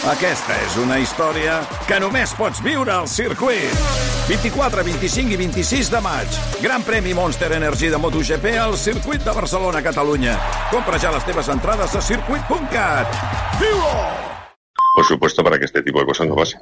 Aquesta és una història que només pots viure al circuit. 24, 25 i 26 de maig. Gran premi Monster Energy de MotoGP al circuit de Barcelona, Catalunya. Compra ja les teves entrades a circuit.cat. ¡Vivo! Por supuesto, para que este tipo de cosas no pase.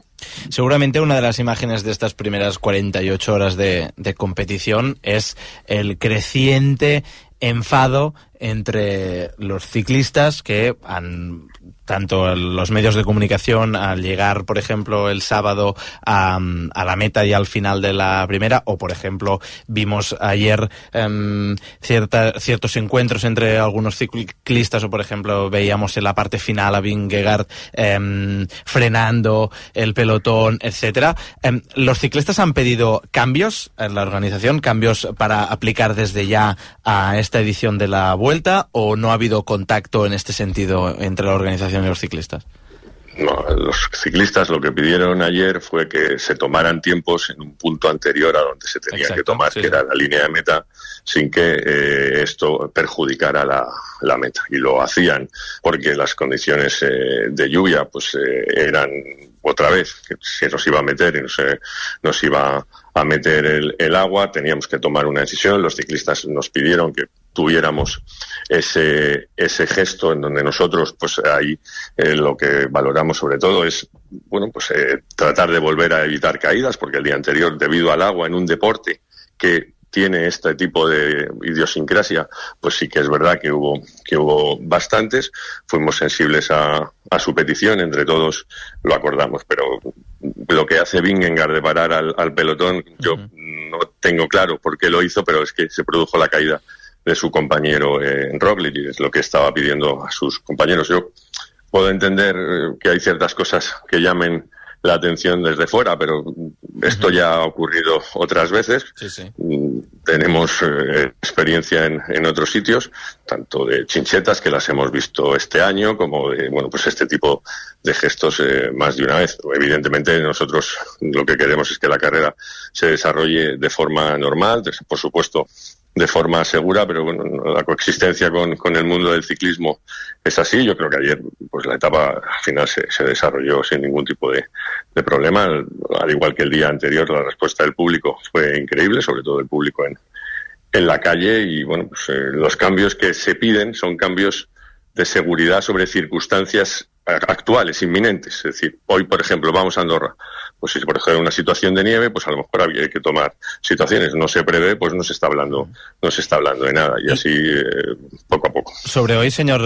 Seguramente una de las imágenes de estas primeras 48 horas de competición es el creciente enfado entre los ciclistas que han, tanto los medios de comunicación al llegar, por ejemplo, el sábado a la meta y al final de la primera, o por ejemplo vimos ayer ciertos encuentros entre algunos ciclistas, o por ejemplo veíamos en la parte final a Vingegaard frenando el pelotón, etcétera. Los ciclistas han pedido cambios en la organización, cambios para aplicar desde ya a esta edición de la Vuelta, ¿o no ha habido contacto en este sentido entre la organización y los ciclistas? No, los ciclistas lo que pidieron ayer fue que se tomaran tiempos en un punto anterior a donde se tenía que tomar, sí, que era la línea de meta, sin que esto perjudicara la meta. Y lo hacían porque las condiciones de lluvia pues eran otra vez que se nos iba a meter y nos iba a meter el agua. Teníamos que tomar una decisión. Los ciclistas nos pidieron que tuviéramos ese gesto en donde nosotros pues ahí lo que valoramos sobre todo es tratar de volver a evitar caídas, porque el día anterior, debido al agua en un deporte que tiene este tipo de idiosincrasia, pues sí que es verdad que hubo bastantes. Fuimos sensibles a su petición, entre todos lo acordamos, pero lo que hace Vingegaard de parar al pelotón, yo no tengo claro por qué lo hizo, pero es que se produjo la caída de su compañero Roglic, y es lo que estaba pidiendo a sus compañeros. Yo puedo entender que hay ciertas cosas que llamen la atención desde fuera, pero esto ya ha ocurrido otras veces. Sí, sí. Tenemos experiencia en otros sitios, tanto de chinchetas, que las hemos visto este año, como de, este tipo de gestos más de una vez. Evidentemente nosotros lo que queremos es que la carrera se desarrolle de forma normal, por supuesto de forma segura, pero la coexistencia con el mundo del ciclismo es así. Yo creo que ayer pues la etapa final se desarrolló sin ningún tipo de problema, al igual que el día anterior. La respuesta del público fue increíble, sobre todo el público en la calle, y los cambios que se piden son cambios de seguridad sobre circunstancias actuales, inminentes. Es decir, hoy, por ejemplo, vamos a Andorra. Pues si, por ejemplo, una situación de nieve, pues a lo mejor había que tomar situaciones. No se prevé, pues no se está hablando de nada. Y así, poco a poco. Sobre hoy, señor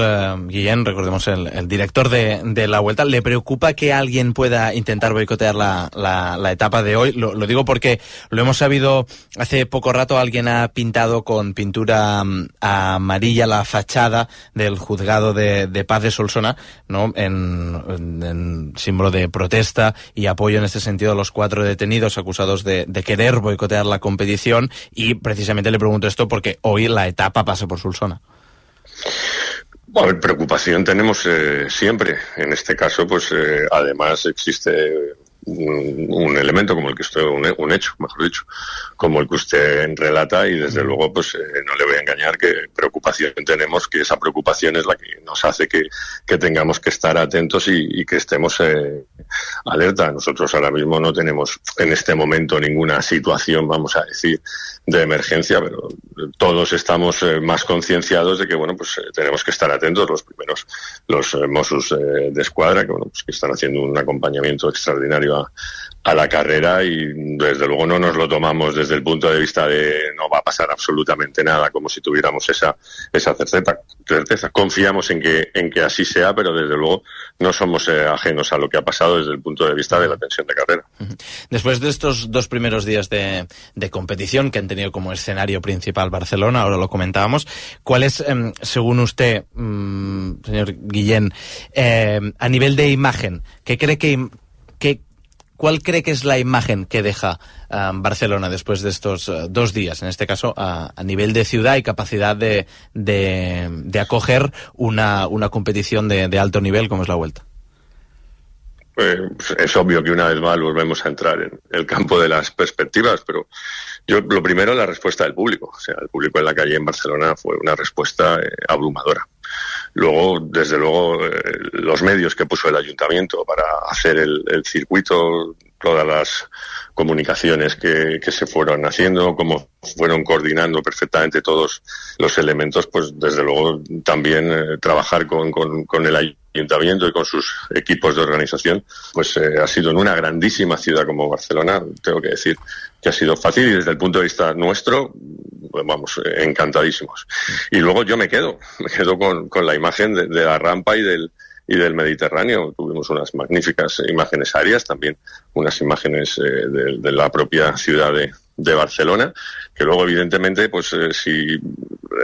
Guillén, recordemos el director de la Vuelta, ¿le preocupa que alguien pueda intentar boicotear la etapa de hoy? Lo digo porque lo hemos sabido hace poco rato. Alguien ha pintado con pintura amarilla la fachada del juzgado de paz de Solsona, ¿no? En símbolo de protesta y apoyo en este sentido a los 4 detenidos acusados de querer boicotear la competición, y precisamente le pregunto esto porque hoy la etapa pasa por Solsona. Bueno, preocupación tenemos siempre. En este caso, pues además existe un elemento como el que usted, un hecho, mejor dicho, como el que usted relata, y desde luego pues no le voy a engañar que preocupación tenemos, que esa preocupación es la que nos hace que tengamos que estar atentos y que estemos alerta. Nosotros ahora mismo no tenemos en este momento ninguna situación, vamos a decir, de emergencia, pero todos estamos más concienciados de que tenemos que estar atentos. Los Mossos de Escuadra, que están haciendo un acompañamiento extraordinario a la carrera, y desde luego no nos lo tomamos desde el punto de vista de no va a pasar absolutamente nada, como si tuviéramos esa certeza. Confiamos en que así sea, pero desde luego no somos ajenos a lo que ha pasado desde el punto de vista de la tensión de carrera. Después de estos 2 primeros días de competición, que han tenido como escenario principal Barcelona, ahora lo comentábamos, ¿cuál es, según usted, señor Guillén, a nivel de imagen, ¿cuál cree que es la imagen que deja Barcelona después de estos 2 días, en este caso a nivel de ciudad y capacidad de acoger una competición de alto nivel como es la Vuelta? Es obvio que una vez más volvemos a entrar en el campo de las perspectivas, pero yo lo primero, la respuesta del público. O sea, el público en la calle en Barcelona fue una respuesta abrumadora. Luego, desde luego, los medios que puso el ayuntamiento para hacer el circuito, todas las comunicaciones que se fueron haciendo, cómo fueron coordinando perfectamente todos los elementos, pues desde luego también trabajar con el ayuntamiento y con sus equipos de organización, pues ha sido en una grandísima ciudad como Barcelona, tengo que decir que ha sido fácil, y desde el punto de vista nuestro, vamos, encantadísimos. Y luego yo me quedo con la imagen de la rampa y del Mediterráneo. Tuvimos unas magníficas imágenes aéreas, también unas imágenes de la propia ciudad de Barcelona, que luego evidentemente, pues si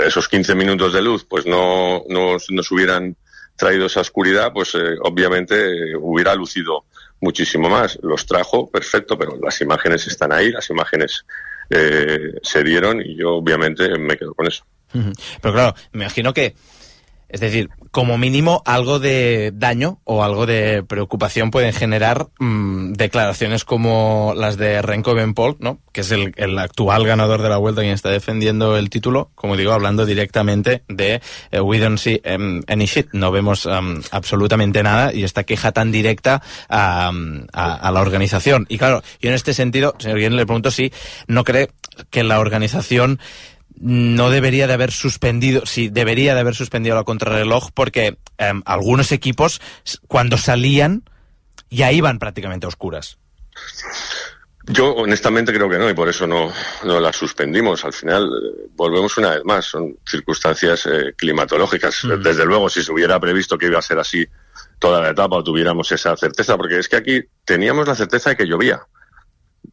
esos 15 minutos de luz pues no nos hubieran traído esa oscuridad, pues obviamente hubiera lucido muchísimo más. Los trajo, perfecto, pero las imágenes están ahí, las imágenes se dieron, y yo obviamente me quedo con eso. Pero claro, me imagino que, es decir, como mínimo algo de daño o algo de preocupación pueden generar declaraciones como las de Remco Evenepoel, ¿no? Que es el actual ganador de la Vuelta, quien está defendiendo el título, como digo, hablando directamente de we don't see any shit, no vemos absolutamente nada, y esta queja tan directa a la organización. Y claro, yo en este sentido, señor Guillén, le pregunto si no cree que la organización no debería de haber suspendido, sí, debería de haber suspendido la contrarreloj, porque algunos equipos, cuando salían, ya iban prácticamente a oscuras. Yo honestamente creo que no, y por eso no la suspendimos. Al final volvemos una vez más, son circunstancias climatológicas. Desde luego, si se hubiera previsto que iba a ser así toda la etapa, o tuviéramos esa certeza, porque es que aquí teníamos la certeza de que llovía.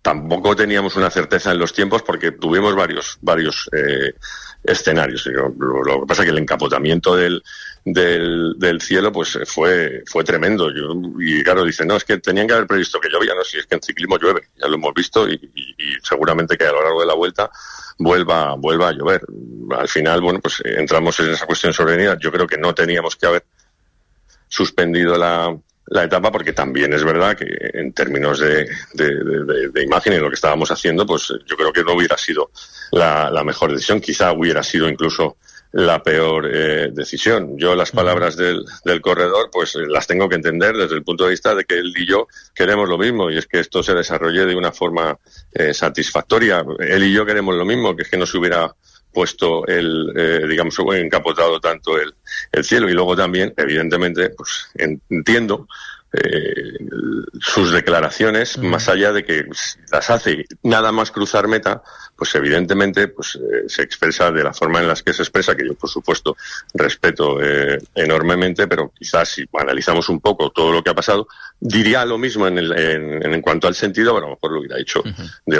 Tampoco teníamos una certeza en los tiempos, porque tuvimos varios escenarios. Lo que pasa es que el encapotamiento del cielo pues fue tremendo. Y claro, dicen, no, es que tenían que haber previsto que llovía. No, si es que en ciclismo llueve, ya lo hemos visto, y seguramente que a lo largo de la vuelta vuelva a llover. Al final, bueno, pues entramos en esa cuestión sobrevenida. Yo creo que no teníamos que haber suspendido la etapa, porque también es verdad que en términos de imagen y lo que estábamos haciendo, pues yo creo que no hubiera sido la mejor decisión. Quizá hubiera sido incluso la peor decisión. Yo las palabras del corredor pues las tengo que entender desde el punto de vista de que él y yo queremos lo mismo, y es que esto se desarrolle de una forma satisfactoria. Él y yo queremos lo mismo, que es que no se hubiera puesto digamos, encapotado tanto el cielo. Y luego también, evidentemente, pues entiendo sus declaraciones, más allá de que las hace nada más cruzar meta, pues evidentemente pues se expresa de la forma en la que se expresa, que yo por supuesto respeto enormemente, pero quizás si analizamos un poco todo lo que ha pasado, diría lo mismo en cuanto al sentido, pero a lo mejor lo hubiera dicho de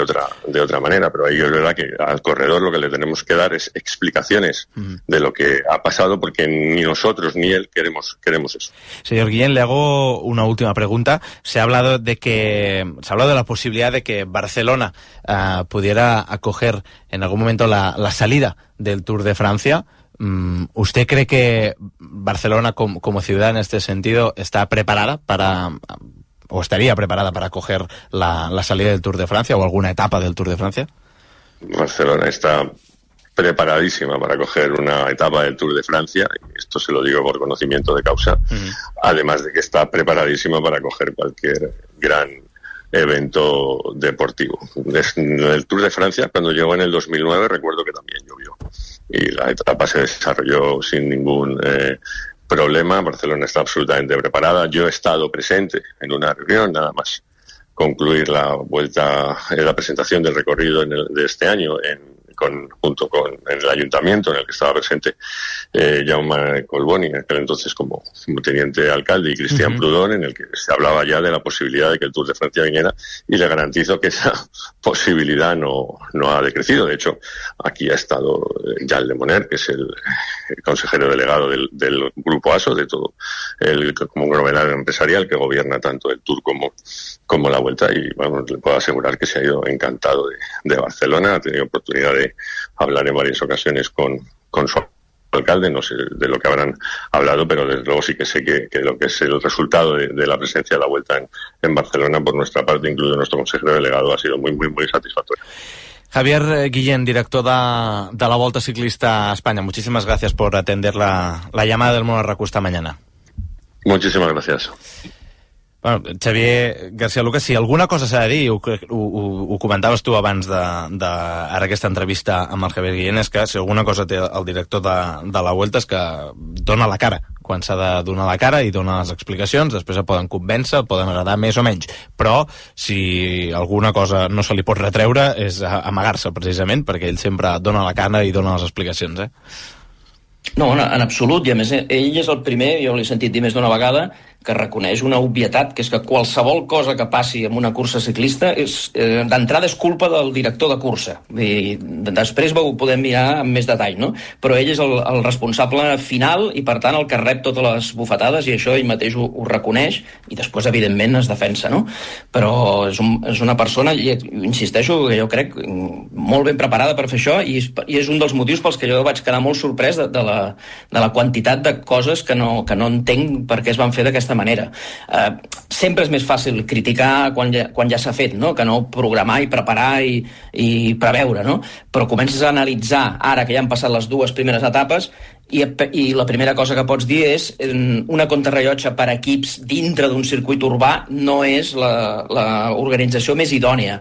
otra manera. Pero ahí es verdad que al corredor lo que le tenemos que dar es explicaciones de lo que ha pasado, porque ni nosotros ni él queremos eso. Señor Guillén, le hago una última pregunta. Se ha hablado de la posibilidad de que Barcelona pudiera acoger en algún momento la salida del Tour de Francia. ¿Usted cree que Barcelona como ciudad en este sentido está preparada o estaría preparada para acoger la salida del Tour de Francia o alguna etapa del Tour de Francia? Barcelona está preparadísima para coger una etapa del Tour de Francia, y esto se lo digo por conocimiento de causa, además de que está preparadísima para coger cualquier gran evento deportivo. El Tour de Francia, cuando llegó en el 2009, recuerdo que también llovió, y la etapa se desarrolló sin ningún problema. Barcelona está absolutamente preparada. Yo he estado presente en una reunión, nada más concluir la vuelta, la presentación del recorrido de este año, junto con el ayuntamiento en el que estaba presente Jaume Colboni, en aquel entonces como teniente alcalde, y Cristian Prudón, en el que se hablaba ya de la posibilidad de que el Tour de Francia viniera, y le garantizo que esa posibilidad no ha decrecido. De hecho, aquí ha estado Jan Lemoner, que es el consejero delegado del Grupo ASO, de todo el conglomerado empresarial que gobierna tanto el Tour como la Vuelta, y bueno, le puedo asegurar que se ha ido encantado de Barcelona. Ha tenido oportunidad de hablar en varias ocasiones con su alcalde, no sé de lo que habrán hablado, pero desde luego sí que sé que lo que es el resultado de la presencia de la Vuelta en Barcelona, por nuestra parte, incluido nuestro consejero delegado, ha sido muy, muy, muy satisfactorio. Javier Guillén, director de la Volta Ciclista a España, muchísimas gracias por atender la llamada del Mono RAC esta mañana. Muchísimas gracias. Bueno, Xavier García Lucas, si alguna cosa s'ha de dir, ho comentaves tu abans ara aquesta entrevista amb el Javier Guillén, és que si alguna cosa té el director de la Vuelta és que dona la cara quan s'ha de donar la cara i dona les explicacions, després es poden convèncer, poden agradar més o menys, però si alguna cosa no se li pot retreure és amagar-se precisament, perquè ell sempre dona la cara i dona les explicacions, No, en absolut, i a més ell és el primer, jo l'he sentit dir més d'una vegada, que reconeix una obvietat, que és que qualsevol cosa que passi en una cursa ciclista d'entrada és culpa del director de cursa. I després ho podem mirar amb més detall, no? Però ell és el responsable final i, per tant, el que rep totes les bufetades, i això ell mateix ho reconeix, i després, evidentment, es defensa, no? Però és una persona, i insisteixo, que jo crec molt ben preparada per fer això, i és un dels motius pels que jo vaig quedar molt sorprès de la quantitat de coses que no entenc per què es van fer d'aquesta manera. Sempre és més fàcil criticar quan ja s'ha fet, no? Que no programar i preparar i preveure, no? Però comences a analitzar, ara que ja han passat les dues primeres etapes, i la primera cosa que pots dir és una contrarellotge per equips dintre d'un circuit urbà no és l'organització més idònia.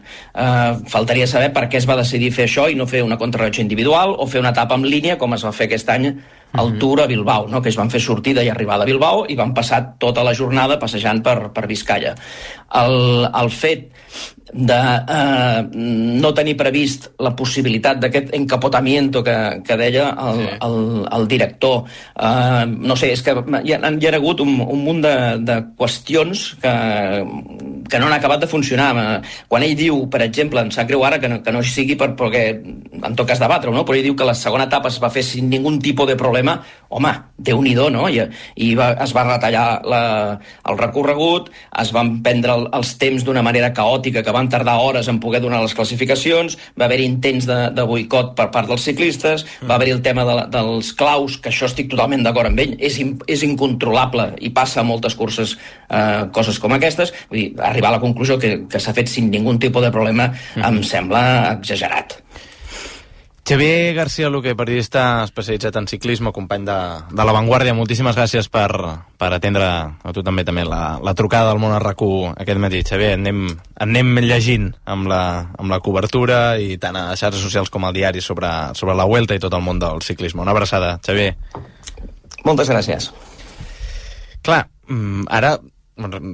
Faltaria saber per què es va decidir fer això i no fer una contrarellotge individual o fer una etapa en línia com es va fer aquest any al Tour a Bilbao, no? Que es van fer sortida i arribada a Bilbao i van passar tota la jornada passejant per Biscaia. El fet de no tenir previst la possibilitat d'aquest encapotamiento que deia el director, no sé, és que hi ha hagut un munt de qüestions que no han acabat de funcionar. Quan ell diu, per exemple, em sap greu ara que no sigui perquè en tot cas debatre-ho, no? Però ell diu que la segona etapa es va fer sin ningún tipo de problema, home, Déu-n'hi-do, no? I es va retallar el recorregut, es van prendre els temps d'una manera caòtica que van tardar hores en poder donar les classificacions, va haver intents de boicot per part dels ciclistes, va haver el tema dels claus, que això estic totalment d'acord amb ell, és incontrolable i passa a moltes curses coses com aquestes. Vull dir, arribar a la conclusió que s'ha fet sin ningú tipus de problema em sembla exagerat. Xavier García Luque, periodista especialitzat en ciclisme, company de La Vanguardia, moltíssimes gràcies per atendre a tu també la trucada del Món RAC1 aquest matí. Xavier, anem llegint amb la cobertura i tant a xarxes socials com al diari sobre la Vuelta i tot el món del ciclisme. Una abraçada, Xavier. Moltes gràcies. Clar, ara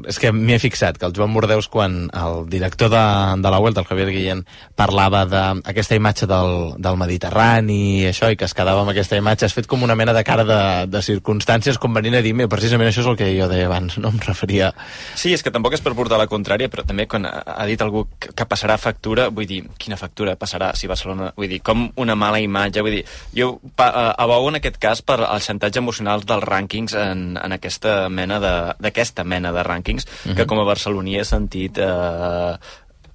és que m'hi he fixat que el Joan Bordeus, quan el director de la Vuelta, el Javier Guillén, parlava d'aquesta imatge del Mediterrani i això, i que es quedava amb aquesta imatge, has fet com una mena de cara de circumstàncies com venint a dir-me, precisament això és el que jo deia abans, no em referia... Sí, és que tampoc és per portar la contrària, però també quan ha dit algú que passarà factura, vull dir, quina factura passarà si Barcelona... Vull dir, com una mala imatge, vull dir, jo abogo en aquest cas per el xantatge emocional dels rànquings en aquesta mena de rànquings, que com a barceloní he sentit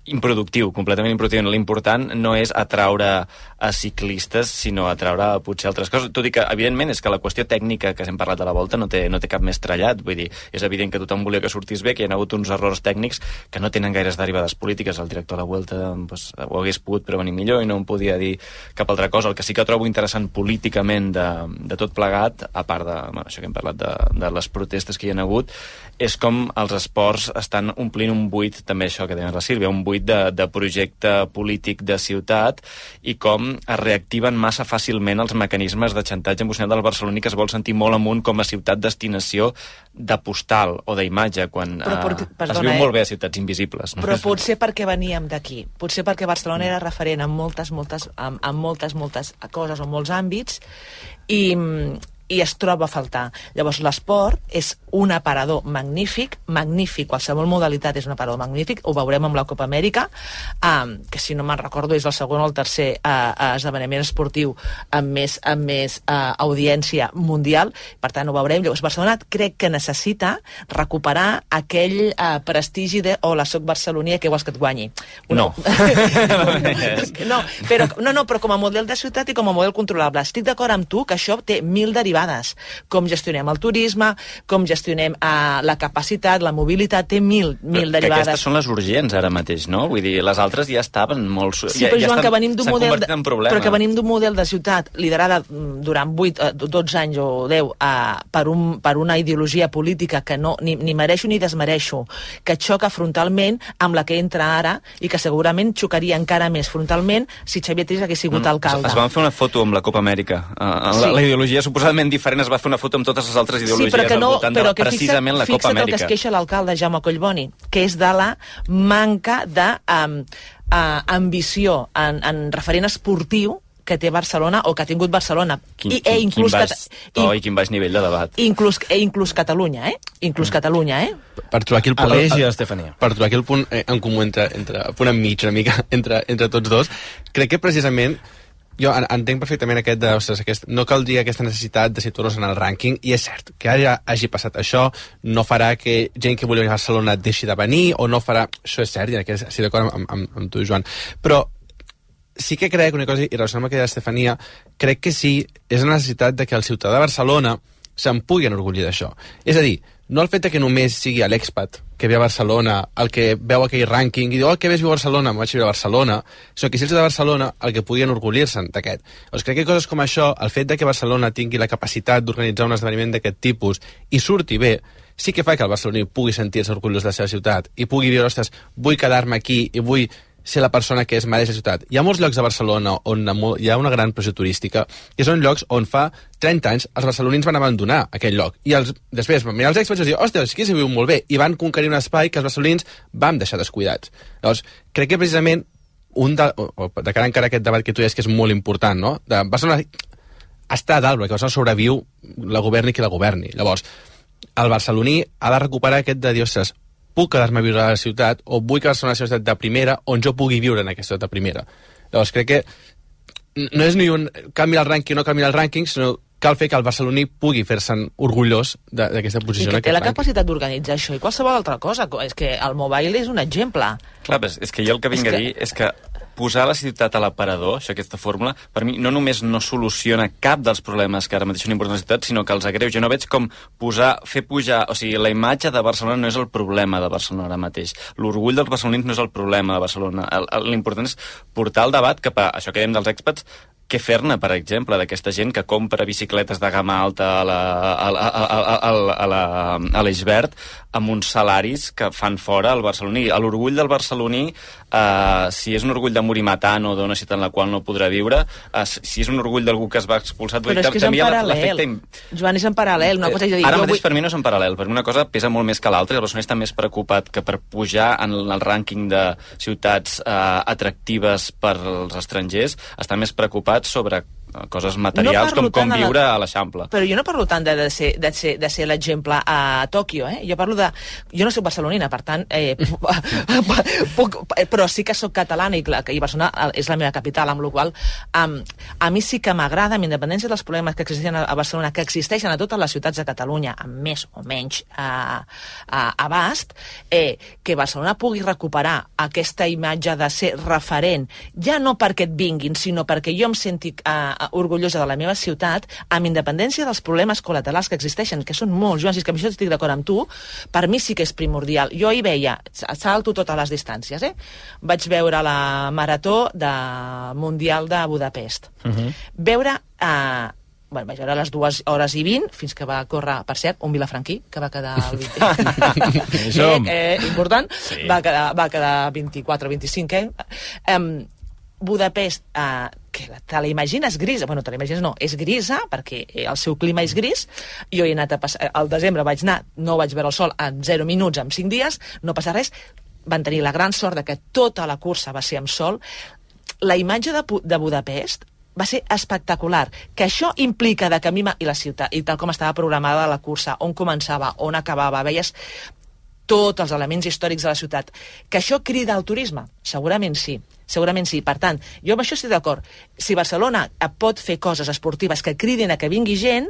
improductiu, completament improductiu. L'important no és atraure a ciclistes, sinó atraure potser altres coses, tot i que evidentment és que la qüestió tècnica que hem parlat de la Volta no té cap més trellat, vull dir, és evident que tothom volia que sortís bé, que hi ha hagut uns errors tècnics que no tenen gaires derivades polítiques. El director de la Volta ho hagués pogut prevenir millor i no em podia dir cap altra cosa. El que sí que trobo interessant políticament de tot plegat, a part de això que hem parlat de les protestes que hi ha hagut, és com els esports estan omplint un buit, també això que deia la Sílvia, un buit de projecte polític de ciutat, i com es reactiven massa fàcilment els mecanismes de xantatge emocional del barceloní, que es vol sentir molt amunt com a ciutat destinació de postal o d'imatge, quan es viu molt bé a ciutats invisibles. No? Però potser perquè veníem d'aquí, potser perquè Barcelona era referent en moltes coses o molts àmbits, i es troba a faltar. Llavors l'esport és un aparador magnífic, qualsevol modalitat és un aparador magnífic, ho veurem amb la Copa Amèrica, que si no me'n recordo és el segon o el tercer esdeveniment esportiu amb més audiència mundial, per tant ho veurem. Llavors Barcelona crec que necessita recuperar aquell prestigi de hola, soc barceloní, què vols que et guanyi? No. Però com a model de ciutat i com a model controlable. Estic d'acord amb tu que això té 1000 derivades. derivades. Com gestionem el turisme, com gestionem la capacitat, la mobilitat, té mil derivades. Que aquestes són les urgents ara mateix, no? Vull dir, les altres ja estaven molt... Sí, però Joan, que venim d'un model... Però que venim d'un model de ciutat liderada durant 12 anys o 10 per una ideologia política que no ni mereixo ni desmereixo, que xoca frontalment amb la que entra ara i que segurament xocaria encara més frontalment si Xavier Trias hagués sigut alcalde. Es van fer una foto amb la Copa Amèrica. La ideologia suposadament diferent es va fer una foto amb totes les altres ideologies al voltant de precisament la Copa Amèrica. Fixa't el que es queixa l'alcalde Jaume Collboni, que és de la manca d'ambició en referent esportiu que té Barcelona o que ha tingut Barcelona. Quin baix nivell de debat. Inclús Catalunya, Inclús Catalunya, Per trobar aquí el punt, per trobar aquí el punt en comú entre el punt enmig una mica entre tots dos, crec que precisament jo entenc perfectament no caldria aquesta necessitat de situar-nos en el rànquing, i és cert que ara hagi passat això no farà que gent que volia venir a Barcelona deixi de venir, o no farà... Això és cert, i aquí estic d'acord amb tu, Joan, però sí que crec una cosa, i relacionant amb aquella Estefania, crec que sí, és la necessitat de que el ciutadà de Barcelona se'n pugui enorgullir d'això. És a dir, no el fet que només sigui l'expat que ve a Barcelona, el que veu aquell rànquing i diu, que ves viu a Barcelona, me'n vaig viure a Barcelona, sinó que si el ciutadà de Barcelona el que pugui enorgullir-se'n d'aquest. Doncs crec que coses com això, el fet de que Barcelona tingui la capacitat d'organitzar un esdeveniment d'aquest tipus i surti bé, sí que fa que el barceloní pugui sentir-se orgullós de la seva ciutat i pugui dir, ostres, vull quedar-me aquí i vull ser la persona que és mereix la ciutat. Hi ha molts llocs a Barcelona on hi ha una gran pressió turística, i són llocs on fa 30 anys els barcelonins van abandonar aquell lloc, i després van mirar els expats i dir, ostres, aquí s'hi viu molt bé, i van conquerir un espai que els barcelonins vam deixar descuidats. Llavors, crec que precisament de cara encara a aquest debat que tu deies que és molt important, no? De Barcelona està a dalt, perquè Barcelona sobreviu la governi qui la governi. Llavors, el barceloní ha de recuperar aquest de dir, ostres, puc quedar-me a viure a la ciutat, o vull quedar-se a una ciutat de primera on jo pugui viure en aquesta ciutat de primera. Llavors crec que no és ni un canvi el rànquing o no canvi el rànquing, sinó cal fer que el barceloní pugui fer-se'n orgullós d'aquesta posició. I que té la capacitat d'organitzar això i qualsevol altra cosa. És que el mobile és un exemple. Clar, és que jo el que vinc a dir és que posar la ciutat a l'aparador, aquesta fórmula, per mi no només no soluciona cap dels problemes que ara mateix són importants a la ciutat, sinó que els agreuja. Jo no veig com fer pujar... O sigui, la imatge de Barcelona no és el problema de Barcelona ara mateix. L'orgull dels barcelonins no és el problema de Barcelona. L'important és portar el debat cap a això que dèiem dels expats, què fer-ne, per exemple, d'aquesta gent que compra bicicletes de gamma alta a l'Eix Verd amb uns salaris que fan fora el barceloní. L'orgull del barceloní, si és un orgull de morir matant o d'una ciutat en la qual no podrà viure, si és un orgull d'algú que es va expulsar... Però és que és en paral·lel. Joan, és en paral·lel. Una cosa és dir, ara mateix per mi no és en paral·lel, perquè una cosa pesa molt més que l'altra, i el barceloní està més preocupat que per pujar en el rànquing de ciutats atractives per als estrangers, està més preocupat sobre coses materials com viure a l'Eixample. Però jo no parlo tant de ser l'exemple a Tòquio, Jo parlo de... Jo no soc barcelonina, per tant, però sí que soc catalana i Barcelona és la meva capital, amb la qual a mi sí que m'agrada, amb independència dels problemes que existeixen a Barcelona, que existeixen a totes les ciutats de Catalunya, amb més o menys abast, que Barcelona pugui recuperar aquesta imatge de ser referent, ja no perquè et vinguin, sinó perquè jo em senti orgullosa de la meva ciutat, amb independència dels problemes col·laterals que existeixen, que són molts, Joan, si és que amb això estic d'acord amb tu, per mi sí que és primordial. Jo hi veia, salto totes les distàncies, vaig veure la marató mundial de Budapest. Veure... vaig veure les 2 hores i 20, fins que va córrer, per cert, un vilafranquí, que va quedar el 20. Important, sí. Va quedar 24 o 25, Budapest, que te la imagines grisa, bueno, te la imagines no, és grisa, perquè el seu clima és gris. Jo he anat al desembre vaig anar, no vaig veure el sol en 0 minuts, en 5 dies, no passa res. Van tenir la gran sort de que tota la cursa va ser amb sol. La imatge de Budapest va ser espectacular, que això implica de que a mi i la ciutat, i tal com estava programada la cursa, on començava, on acabava, veies tots els elements històrics de la ciutat, que això crida al turisme? Segurament sí. Per tant, jo amb això estic d'acord. Si Barcelona pot fer coses esportives que cridin a que vingui gent,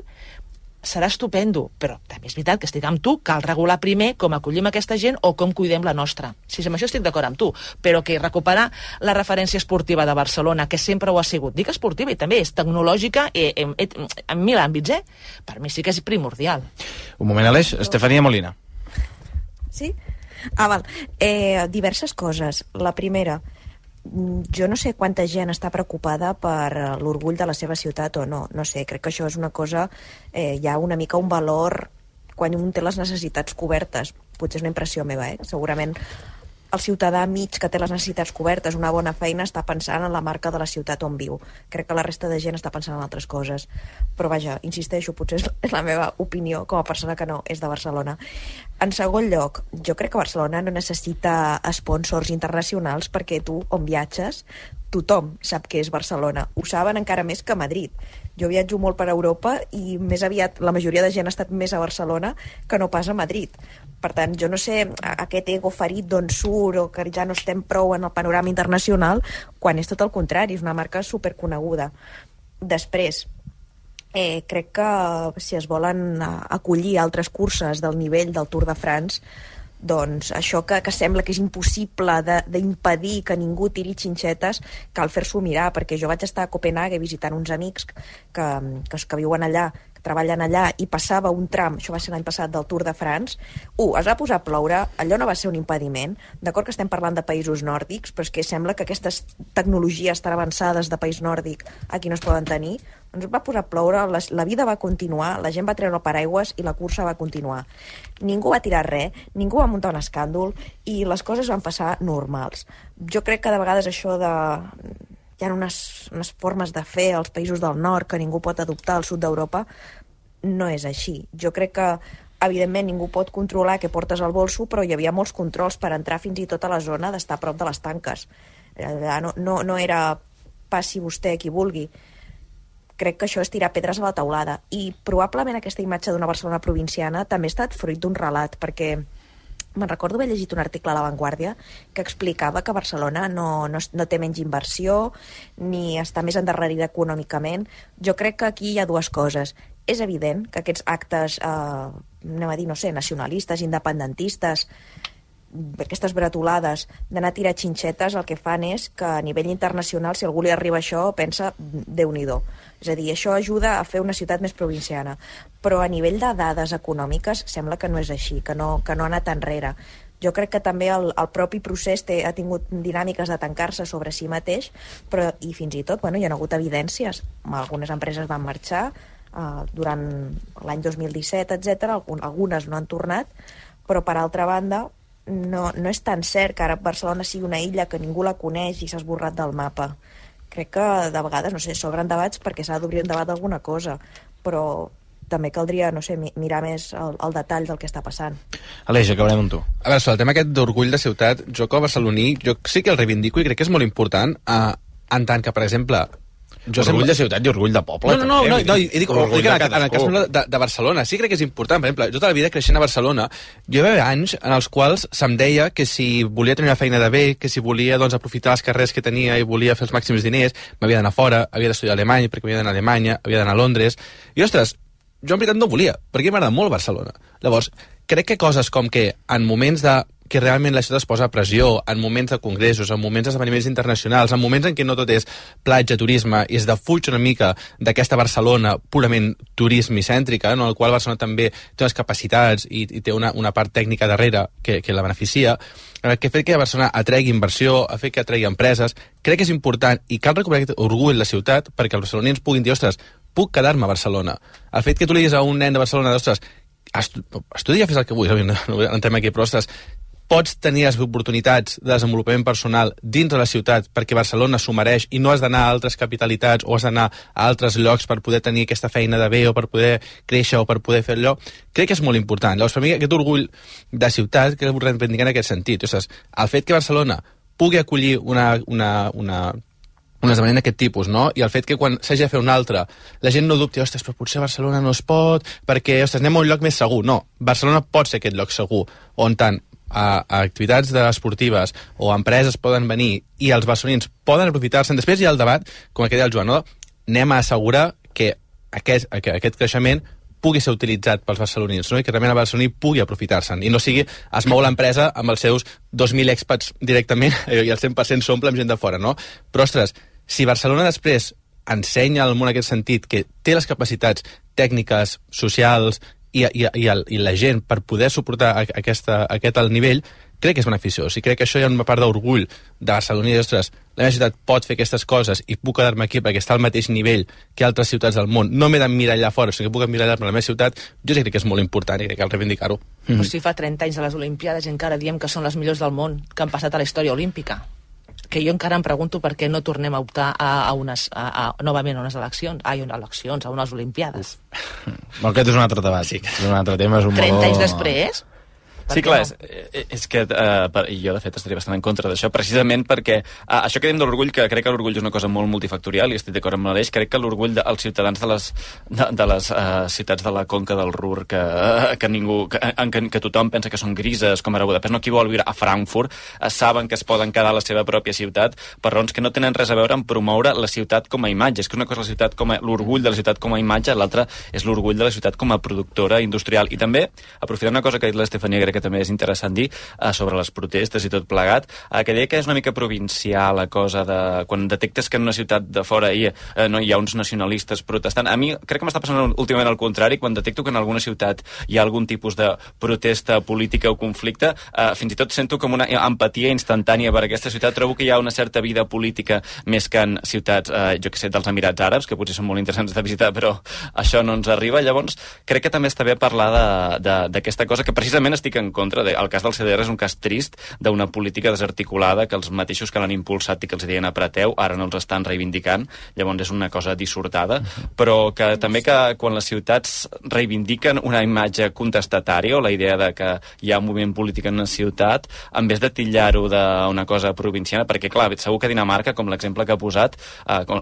serà estupendo, però també és veritat que estic amb tu, cal regular primer com acollim aquesta gent o com cuidem la nostra. Sí, amb això estic d'acord amb tu, però que recuperar la referència esportiva de Barcelona, que sempre ho ha sigut, dic esportiva i també és tecnològica en 1000 àmbits, per mi sí que és primordial. Un moment, Aleix. Estefania Molina. Sí? Val. Diverses coses. La primera, jo no sé quanta gent està preocupada per l'orgull de la seva ciutat o no. No sé, crec que això és una cosa... hi ha una mica un valor quan un té les necessitats cobertes. Potser és una impressió meva, Segurament el ciutadà mig que té les necessitats cobertes, una bona feina, està pensant en la marca de la ciutat on viu. Crec que la resta de gent està pensant en altres coses. Però vaja, insisteixo, potser és la meva opinió com a persona que no és de Barcelona. En segon lloc, jo crec que Barcelona no necessita sponsors internacionals perquè tu, on viatges, tothom sap que és Barcelona. Ho saben encara més que Madrid. Jo viatjo molt per Europa i més aviat la majoria de gent ha estat més a Barcelona que no pas a Madrid. Per tant, jo no sé aquest ego ferit d'on surt o que ja no estem prou en el panorama internacional, quan és tot el contrari, és una marca superconeguda. Després, crec que si es volen acollir altres curses del nivell del Tour de France, doncs això que sembla que és impossible d'impedir que ningú tiri xinxetes, cal fer-s'ho mirar, perquè jo vaig estar a Copenhague visitant uns amics que viuen allà, que treballen allà, i passava un tram, això va ser l'any passat, del Tour de France. Es va posar a ploure, allò no va ser un impediment. D'acord que estem parlant de països nòrdics, però és que sembla que aquestes tecnologies tan avançades de país nòrdic aquí no es poden tenir. Doncs va posar a ploure, la vida va continuar, la gent va treure el paraigües i la cursa va continuar. Ningú va tirar res, ningú va muntar un escàndol i les coses van passar normals. Jo crec que de vegades això de... Hi ha unes formes de fer als països del nord que ningú pot adoptar al sud d'Europa. No és així. Jo crec que, evidentment, ningú pot controlar què portes al bolso, però hi havia molts controls per entrar fins i tot a la zona d'estar a prop de les tanques. No era passi vostè qui vulgui. Crec que això és tirar pedres a la teulada. I probablement aquesta imatge d'una Barcelona provinciana també ha estat fruit d'un relat, perquè me'n recordo haver llegit un article a La Vanguardia que explicava que Barcelona no té menys inversió ni està més endarrerida econòmicament. Jo crec que aquí hi ha dues coses. És evident que aquests actes, nacionalistes, independentistes, aquestes bretolades d'anar a tirar xinxetes, el que fan és que a nivell internacional, si algú li arriba això, pensa, Déu-n'hi-do. És a dir, això ajuda a fer una ciutat més provinciana. Però a nivell de dades econòmiques sembla que no és així, que no ha anat enrere. Jo crec que també el propi procés ha tingut dinàmiques de tancar-se sobre si mateix, però i fins i tot hi ha hagut evidències. Algunes empreses van marxar durant l'any 2017, etc. Algunes no han tornat, però per altra banda no és tan cert que ara Barcelona sigui una illa que ningú la coneix i s'ha esborrat del mapa. Crec que de vegades, s'obren debats perquè s'ha d'obrir un debat d'alguna cosa, però també caldria, mirar més el detall del que està passant. Aleix, acabarem amb tu. A veure, sobre el tema aquest d'orgull de ciutat, jo com a barceloní, jo sí que el reivindico i crec que és molt important en tant que, per exemple... Orgull de ciutat i orgull de poble. No, dic en el cas de Barcelona, sí crec que és important. Per exemple, jo tota la vida creixent a Barcelona, jo hi va haver anys en els quals se'm deia que si volia tenir una feina de bé, que si volia aprofitar les carreres que tenia i volia fer els màxims diners, m'havia d'anar fora, havia d'estudiar alemany, perquè havia d'anar a Alemanya, havia d'anar a Londres, i ostres, jo en veritat no volia, perquè m'agrada molt Barcelona. Llavors, crec que coses com que en moments que realment la ciutat es posa a pressió, en moments de congressos, en moments d'esdeveniments internacionals, en moments en què no tot és platja, turisme, i es defuig una mica d'aquesta Barcelona purament turismicèntrica, en el qual Barcelona també té unes capacitats i té una part tècnica darrere que la beneficia, que ha fet que Barcelona atregui inversió, ha fet que atregui empreses. Crec que és important i cal recuperar aquest orgull de la ciutat perquè els barcelonins puguin dir, ostres, puc quedar-me a Barcelona. El fet que tu li diguis a un nen de Barcelona, ostres, estudia, fes el que vulguis, no entrem aquí, però ostres, pots tenir les oportunitats de desenvolupament personal dintre de la ciutat perquè Barcelona s'ho mereix i no has d'anar a altres capitalitats o has d'anar a altres llocs per poder tenir aquesta feina de bé o per poder créixer o per poder fer allò, crec que és molt important. Llavors, per mi, aquest orgull de ciutat que ho reivindicar en aquest sentit. O sigui, el fet que Barcelona pugui acollir un esdeveniment d'aquest tipus, no? I el fet que quan s'hagi de fer un altre, la gent no dubti, ostres, però potser Barcelona no es pot, perquè, ostres, anem a un lloc més segur. No, Barcelona pot ser aquest lloc segur, on tant a activitats esportives o empreses poden venir i els barcelonins poden aprofitar-se'n. Després hi ha el debat, com el que deia el Joan, no? Anem a assegurar que aquest creixement pugui ser utilitzat pels barcelonins, no? I que realment el barceloní pugui aprofitar-se'n, i no sigui es mou l'empresa amb els seus 2.000 expats directament i el 100% s'omple amb gent de fora, no? Però, ostres, si Barcelona després ensenya al món en aquest sentit que té les capacitats tècniques, socials i la gent per poder suportar aquest alt nivell, crec que és beneficiós, i crec que això hi ha una part d'orgull de Barcelona i ostres, la meva ciutat pot fer aquestes coses i puc quedar-me aquí perquè està al mateix nivell que altres ciutats del món. No m'he d'emmirallar fora, sinó que puc emmirallar-me a la meva ciutat. Jo crec que és molt important i crec que cal reivindicar-ho. Però si fa 30 anys de les Olimpiades i encara diem que són les millors del món que han passat a la història olímpica, que jo encara em pregunto per què no tornem a optar novament a unes eleccions, a unes Olimpiades. Aquest és un altre debat. Sí. És un altre tema. És un 30 anys després? Sí, clar, és que jo, de fet, estaria bastant en contra d'això, precisament perquè això que dèiem de l'orgull, que crec que l'orgull és una cosa molt multifactorial, i estic d'acord amb l'Aleix, crec que l'orgull dels ciutadans de les ciutats de la conca del Ruhr, que tothom pensa que són grises, com ara Budapest, no, qui vol viure a Frankfurt, saben que es poden quedar a la seva pròpia ciutat per raons que no tenen res a veure amb promoure la ciutat com a imatge. És que una cosa és la ciutat com l'orgull de la ciutat com a imatge, l'altra és l'orgull de la ciutat com a productora industrial. I també, aprofitant una cosa que ha dit l'Estefania, crec que també és interessant dir, sobre les protestes i tot plegat, que deia que és una mica provincial la cosa de quan detectes que en una ciutat de fora hi ha uns nacionalistes protestant. A mi crec que m'està passant últimament al contrari, quan detecto que en alguna ciutat hi ha algun tipus de protesta política o conflicte, fins i tot sento com una empatia instantània per aquesta ciutat. Trobo que hi ha una certa vida política més que en ciutats, jo que sé, dels Emirats Àrabs, que potser són molt interessants de visitar, però això no ens arriba. Llavors, crec que també està bé parlar d'aquesta cosa, que precisament estic en contra. El cas del CDR és un cas trist d'una política desarticulada que els mateixos que l'han impulsat i que els deien apreteu, ara no els estan reivindicant. Llavors és una cosa dissortada, però que també que quan les ciutats reivindiquen una imatge contestatària o la idea de que hi ha un moviment polític en una ciutat, en vez de titllar-ho d'una cosa provinciana, perquè clar, segur que Dinamarca, com l'exemple que ha posat,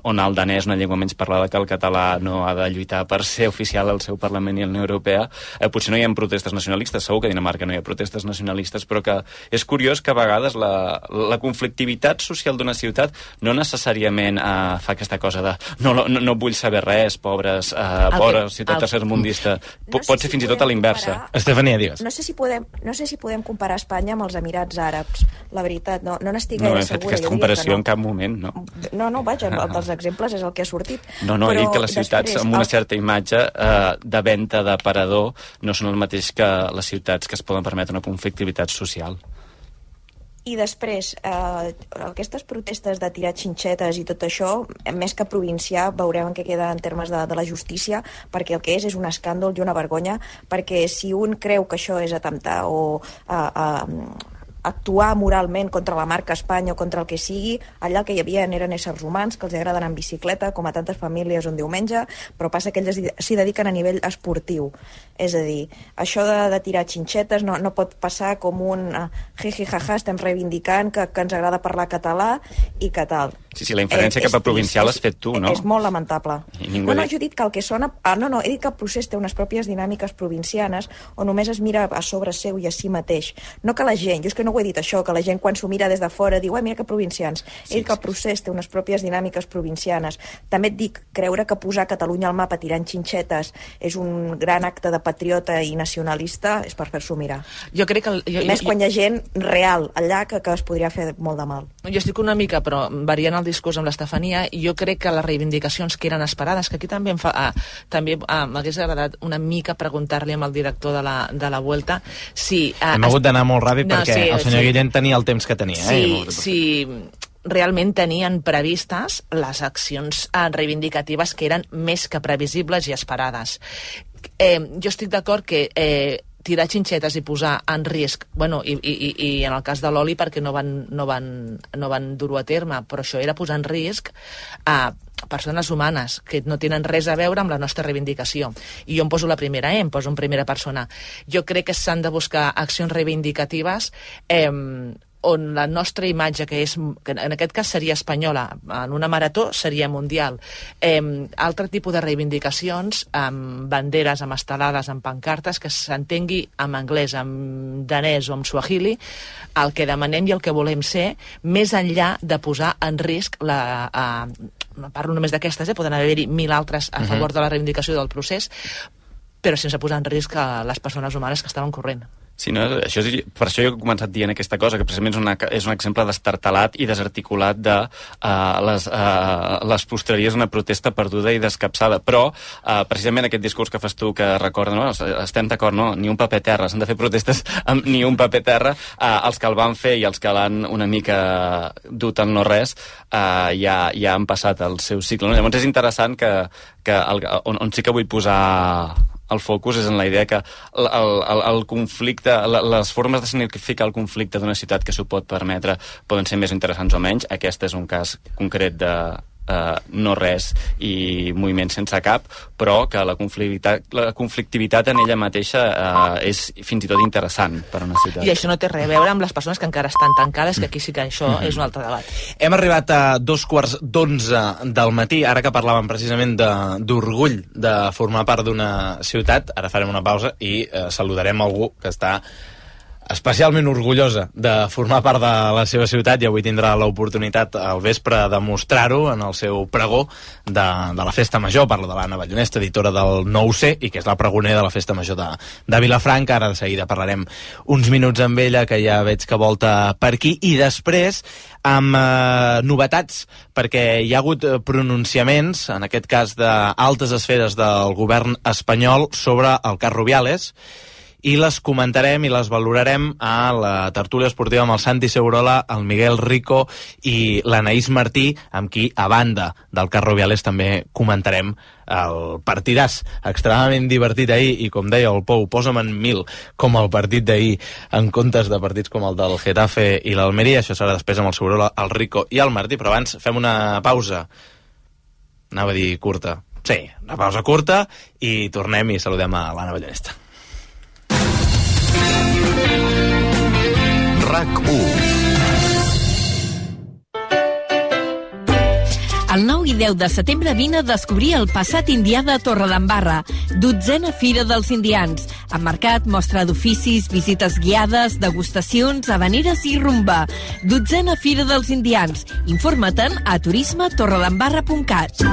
on el danès, una llengua menys parlada que el català, no ha de lluitar per ser oficial al seu Parlament i a la Unió Europea, potser no hi ha protestes nacionalistes, segur que a Dinamarca no hi ha protestes nacionalistes, però que és curiós que a vegades la conflictivitat social d'una ciutat no necessàriament fa aquesta cosa de no vull saber res, pobra ciutat tercermundista. Pot ser fins i tot a l'inversa. Estefania, digues. No sé si podem comparar Espanya amb els Emirats Àrabs. La veritat, no n'estic gaire segura. No he fet aquesta comparació en cap moment, no. No, vaja, dels exemples és el que ha sortit. No, he dit que les ciutats amb una certa imatge de venda d'aparador no són el mateix que les ciutats que es poden permetre una conflictivitat social. I després, aquestes protestes de tirar xinxetes i tot això, més que provincià, veurem en què queda en termes de la justícia, perquè el que és un escàndol i una vergonya, perquè si un creu que això és atemptar o actuar moralment contra la marca Espanya o contra el que sigui, allà el que hi havia eren éssers humans que els agrada anar en bicicleta, com a tantes famílies un diumenge, però passa que ells s'hi dediquen a nivell esportiu. És a dir, això de tirar xinxetes no pot passar com un jiji-jaja, estem reivindicant que ens agrada parlar català i que tal. Sí, la inferència cap a provincial l'has fet tu, no? És molt lamentable. No, jo he dit que el que sona... No, he dit que el procés té unes pròpies dinàmiques provincianes on només es mira a sobre seu i a si mateix. No que la gent, jo és que no ho he dit això, que la gent quan s'ho mira des de fora diu, mira que provincians. He dit que el procés té unes pròpies dinàmiques provincianes. També et dic, creure que posar Catalunya al mapa tirant xinxetes és un gran acte de patriota i nacionalista és per fer-s'ho mirar. Jo crec que... Més quan hi ha gent real allà que es podria fer molt de mal. Jo estic una mica, però variant el discurs amb l'Estefania, i jo crec que les reivindicacions que eren esperades, que aquí també m'hagués agradat una mica preguntar-li al director de la Vuelta si... Hem hagut d'anar molt ràpid perquè el senyor Guillén tenia el temps que tenia. Sí, realment tenien previstes les accions reivindicatives que eren més que previsibles i esperades. Jo estic d'acord que tirar xinxetes i posar en risc, i en el cas de l'oli perquè no van dur-ho a terme, però això era posar en risc a persones humanes que no tenen res a veure amb la nostra reivindicació. I jo em poso la primera, em poso en primera persona. Jo crec que s'han de buscar accions reivindicatives on la nostra imatge, que en aquest cas seria espanyola, en una marató seria mundial, altre tipus de reivindicacions amb banderes, amb estelades, amb pancartes, que s'entengui en anglès, en danès o en suahili, el que demanem i el que volem ser, més enllà de posar en risc no parlo només d'aquestes, poden haver-hi 1.000 altres a favor de la reivindicació del procés, però sense posar en risc a les persones humanes que estaven corrent. Sí, no? Per això jo he començat dient aquesta cosa, que precisament és un exemple destartalat i desarticulat de les postreries d'una protesta perduda i descapçada. Però, precisament aquest discurs que fas tu, que recorda, no? Estem d'acord, no? Ni un paper terra, s'han de fer protestes amb ni un paper terra. Els que el van fer i els que l'han una mica dut al no res ja han passat el seu cicle. No? Llavors és interessant que on sí que vull posar el focus és en la idea que el conflicte, les formes de significar el conflicte d'una ciutat que s'ho pot permetre poden ser més interessants o menys. Aquest és un cas concret de no res i moviment sense cap, però que la conflictivitat en ella mateixa és fins i tot interessant per a una ciutat. I això no té res a veure amb les persones que encara estan tancades, que aquí sí que això és un altre debat. Hem arribat a 2:15 del matí, ara que parlàvem precisament d'orgull de formar part d'una ciutat. Ara farem una pausa i saludarem algú que està especialment orgullosa de formar part de la seva ciutat i avui tindrà l'oportunitat al vespre de mostrar-ho en el seu pregó de la Festa Major. Parla de l'Anna Ballonesta, editora del 9C, i que és la pregonera de la Festa Major de Vilafranca. Ara de seguida parlarem uns minuts amb ella, que ja veig que volta per aquí, i després amb novetats, perquè hi ha hagut pronunciaments, en aquest cas d'altes esferes del govern espanyol, sobre el cas Rubiales, i les comentarem i les valorarem a la tertúlia esportiva amb el Santi Segurola, el Miguel Rico i l'Anaïs Martí, amb qui, a banda del cas Rubiales, també comentarem el partidàs extremadament divertit ahir, i com deia el Pou, posa'm en 1000 com el partit d'ahir en comptes de partits com el del Getafe i l'Almeria. Això serà després amb el Segurola, el Rico i el Martí, però abans fem una pausa, anava a dir curta, sí, una pausa curta, i tornem i saludem a l'Anna Ballonesta. RAC1. El 9 i 10 de setembre vine a descobrir el passat indià de Torredembarra, 12a Fira dels Indians, amb mercat, mostra d'oficis, visites guiades, degustacions, havaneres i rumba. 12a Fira dels Indians. Informa-te'n a turismetorredembarra.cat.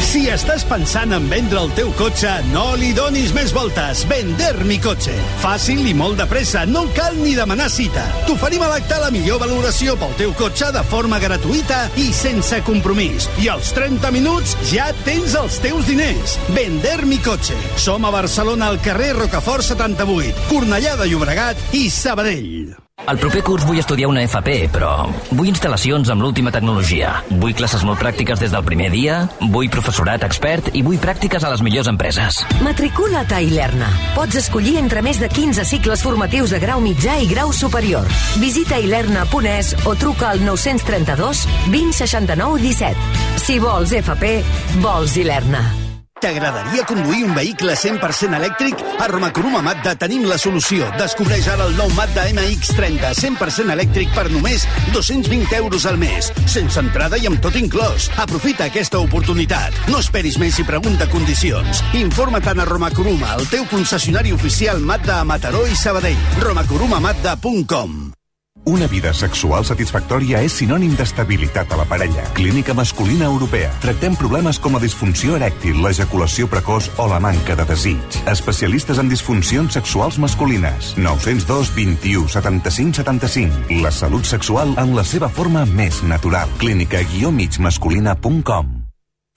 Si estàs pensant en vendre el teu cotxe, no li donis més voltes. Vender mi cotxe. Fàcil i molt de pressa, no cal ni demanar cita. T'oferim a l'acte la millor valoració pel teu cotxe de forma gratuïta i sense compromís. I als 30 minuts ja tens els teus diners. Vender mi cotxe. Som a Barcelona, al carrer Rocafort 78, Cornellà de Llobregat i Sabadell. El proper curs vull estudiar una FP, però vull instal·lacions amb l'última tecnologia. Vull classes molt pràctiques des del primer dia, vull professorat expert i vull pràctiques a les millors empreses. Matricula't a Ilerna. Pots escollir entre més de 15 cicles formatius de grau mitjà i grau superior. Visita ilerna.es o truca al 932 20 69 17. Si vols FP, vols Ilerna. T'agradaria conduir un vehicle 100% elèctric? A Romacoruma Mazda tenim la solució. Descobreix ara el nou Mazda MX-30, 100% elèctric per només 220 euros al mes. Sense entrada i amb tot inclòs. Aprofita aquesta oportunitat. No esperis més i pregunta condicions. Informa-te'n a Romacoruma, el teu concessionari oficial Mazda a Mataró i Sabadell. romacorumamazda.com. Una vida sexual satisfactòria és sinònim d'estabilitat a la parella. Clínica Masculina Europea. Tractem problemes com la disfunció erèctil, l'ejaculació precoç o la manca de desig. Especialistes en disfuncions sexuals masculines. 902 21 75 75. La salut sexual en la seva forma més natural. clínica-migmasculina.com.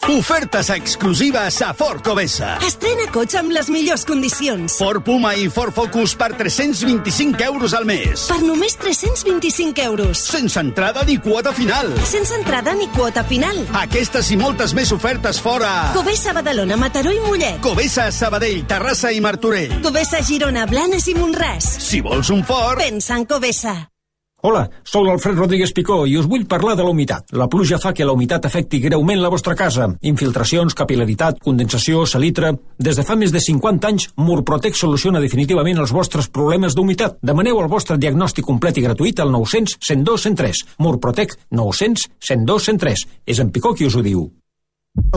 Ofertes exclusives a Ford Covesa. Estrena cotxe amb les millors condicions. Ford Puma i Ford Focus per 325 euros al mes. Per només 325 euros. Sense entrada ni quota final. Sense entrada ni quota final. Aquestes i moltes més ofertes fora. Covesa, Badalona, Mataró i Mollet. Covesa, Sabadell, Terrassa i Martorell. Covesa, Girona, Blanes i Montràs. Si vols un Ford, pensa en Covesa. Hola, sóc l'Alfred Rodríguez Picó i us vull parlar de la humitat. La pluja fa que la humitat afecti greument la vostra casa. Infiltracions, capil·laritat, condensació, salitre... Des de fa més de 50 anys, Murprotec soluciona definitivament els vostres problemes d'humitat. Demaneu el vostre diagnòstic complet i gratuït al 900 102 103. Murprotec 900 102 103. És en Picó qui us ho diu.